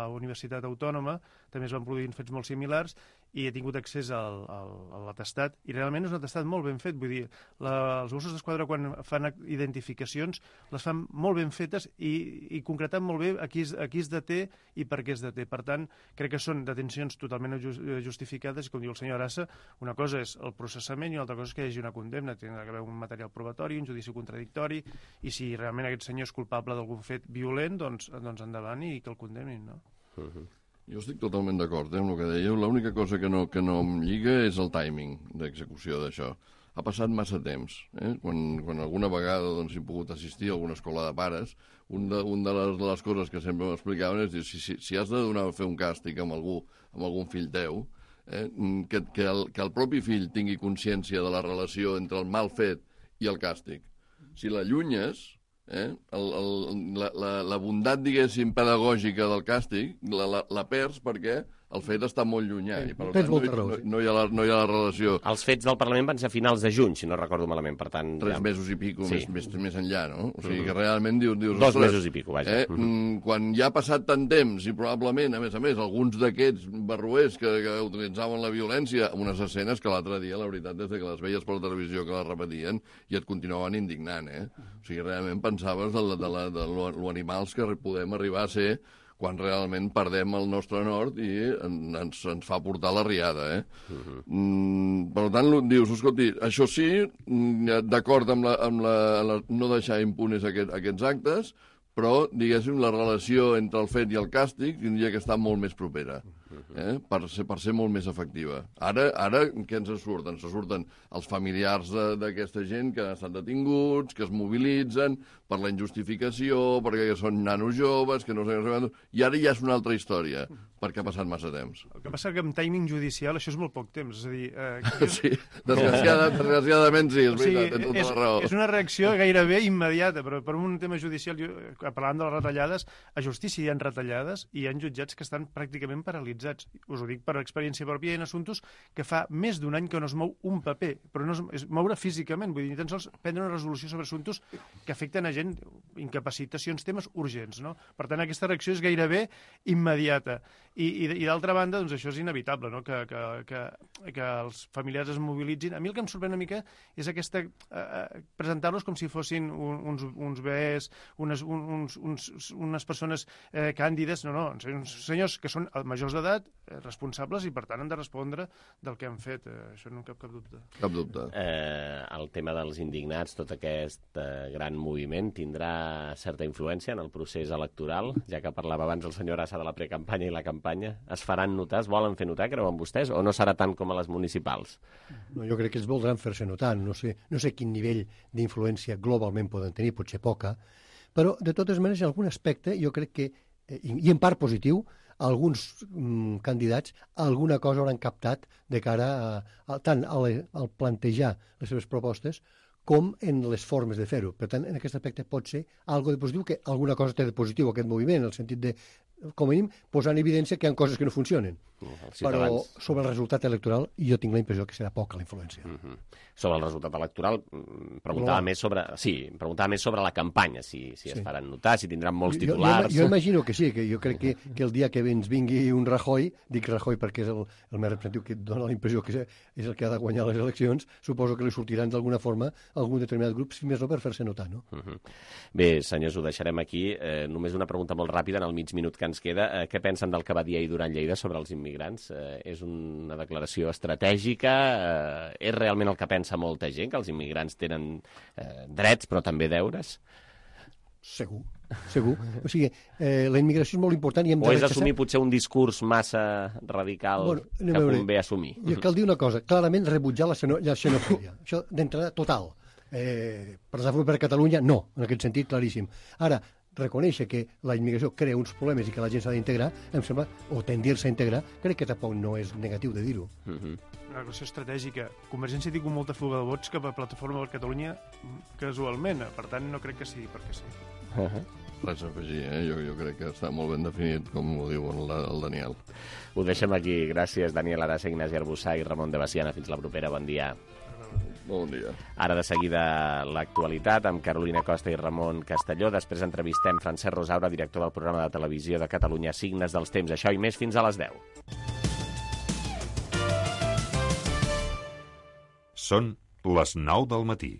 la Universitat Autònoma, també es van produir fets molt similars, i he tingut accés a l'atestat, i realment és un atestat molt ben fet. Vull dir, els Mossos d'Esquadra, quan fan identificacions, les fan molt ben fetes i concretant molt bé a qui es deté i per què es deté. Per tant, crec que són detencions totalment justificades, i com diu el senyor Arassa, una cosa és el processament i una altra cosa és que hi hagi una condemna. Té d'haver un material probatori, un judici contradictori, i si realment aquest senyor és culpable d'algun fet violent, doncs endavant i que el condemnin, no? Jo estic totalment d'acord amb el que dèieu. L'única cosa que no em lliga és el timing d'execució d'això. Ha passat massa temps. Quan alguna vegada he pogut assistir a alguna escola de pares, una de les coses que sempre m'explicaven és dir, si has de fer un càstig amb algun fill teu, que el propi fill tingui consciència de la relació entre el mal fet i el càstig. Si l'allunyes, la bondat, diguéssim, pedagògica del càstig la perds perquè el fet està molt llunyà i per tant no hi ha la relació. Els fets del Parlament van ser a finals de juny, si no recordo malament, per tant... 3 mesos i pico, més enllà, no? O sigui que realment dius... 2 mesos i pico, vaja. Quan ja ha passat tant temps i probablement, a més, alguns d'aquests barroers que utilitzaven la violència, unes escenes que l'altre dia, la veritat, des que les veies per la televisió que les repetien i et continuaven indignant, O sigui, realment pensaves de lo animals que podem arribar a ser quan realment perdem el nostre nord i ens fa portar la riada, Per tant, dius, escolti, això sí, d'acord amb no deixar impunes aquests actes, però, diguéssim, la relació entre el fet i el càstig tindria que estar molt més propera, per ser molt més efectiva. Ara què ens surt? Ens surten els familiars d'aquesta gent que han estat detinguts, que es mobilitzen per la injustificació, perquè són nanos joves, que no sé què, i ara ja és una altra història, perquè ha passat massa temps. El que passa que amb timing judicial això és molt poc temps, és a dir... Sí, desgraciadament sí, és veritat, tens tota la raó. És una reacció gairebé immediata, però per un tema judicial, parlant de les retallades, a justícia hi ha retallades i hi ha jutjats que estan pràcticament paralitzats. Us ho dic per experiència pròpia, hi ha assumptes que fa més d'un any que no es mou un paper, però no es moure físicament, vull dir, ni tan sols prendre una resolució sobre assumptes que afecten a gent, incapacitacions, temes urgents, no? Per tant, aquesta reacció és gairebé immediata. I d'altra banda, doncs això és inevitable, no? Que els familiars es mobilitzin. A mi el que em sorprèn una mica és presentar-los com si fossin uns bebès, unes persones càndides. No, uns senyors que són majors d'edat, responsables, i per tant han de respondre del que han fet. Això no en cap dubte. Cap dubte. El tema dels indignats, tot aquest gran moviment, tindrà certa influència en el procés electoral, ja que parlava abans el senyor Assa de la precampanya i la campanya. Es faran notar, es volen fer notar, creuen vostès, o no serà tant com a les municipals? No, jo crec que es voldran fer-se notar. No sé quin nivell d'influència globalment poden tenir, potser poca, però de totes maneres, en algun aspecte, jo crec que, i en part positiu, alguns candidats alguna cosa hauran captat de cara tant al plantejar les seves propostes com en les formes de fer-ho. Per tant, en aquest aspecte pot ser algo de positiu, que alguna cosa té de positiu aquest moviment, en el sentit de, com a mínim, posar en evidència que hi ha coses que no funcionen. Però sobre el resultat electoral jo tinc la impressió que serà poca la influència. Sobre el resultat electoral, preguntava més sobre la campanya, si es faran notar, si tindran molts titulars... Jo imagino que sí, que jo crec que el dia que ens vingui un Rajoy, dic Rajoy perquè és el més representatiu, que dona la impressió que és el que ha de guanyar les eleccions, suposo que li sortiran d'alguna forma algun determinat grup, si més no per fer-se notar, no? Bé, senyors, ho deixarem aquí. Només una pregunta molt ràpida en el mig minut que ens queda. Què pensen del que va dir ahir Duran Lleida sobre els immigrants? És una declaració estratègica? És realment el que pensa molta gent, que els immigrants tenen drets però també deures? Segur. O sigui, la immigració és molt important i hem de o és assumir potser un discurs massa radical que convé assumir. I cal dir una cosa, clarament rebutjar la xenofòbia. Això d'entrada total. Per exemple, per Catalunya, no, en aquest sentit claríssim. Ara, reconèixer que la immigració crea uns problemes i que la gent s'ha d'integrar, em sembla, o tendir-se a integrar, crec que tampoc no és negatiu de dir-ho. Una relació estratègica. Convergència té com molta fuga de vots cap a Plataforma per Catalunya casualment, per tant no crec que sigui perquè sí. Res a afegir, jo crec que està molt ben definit, com ho diu el Daniel. Ho deixem aquí. Gràcies, Daniel Arasa, Ignasi Arbussà i Ramon de Baciana. Fins la propera. Bon dia. Bon dia. Ara de seguida l'actualitat amb Carolina Costa i Ramon Castelló. Després entrevistem Francesc Rosaura, director del programa de televisió de Catalunya Signes dels Temps. Això i més fins a les 10. Són les 9 del matí.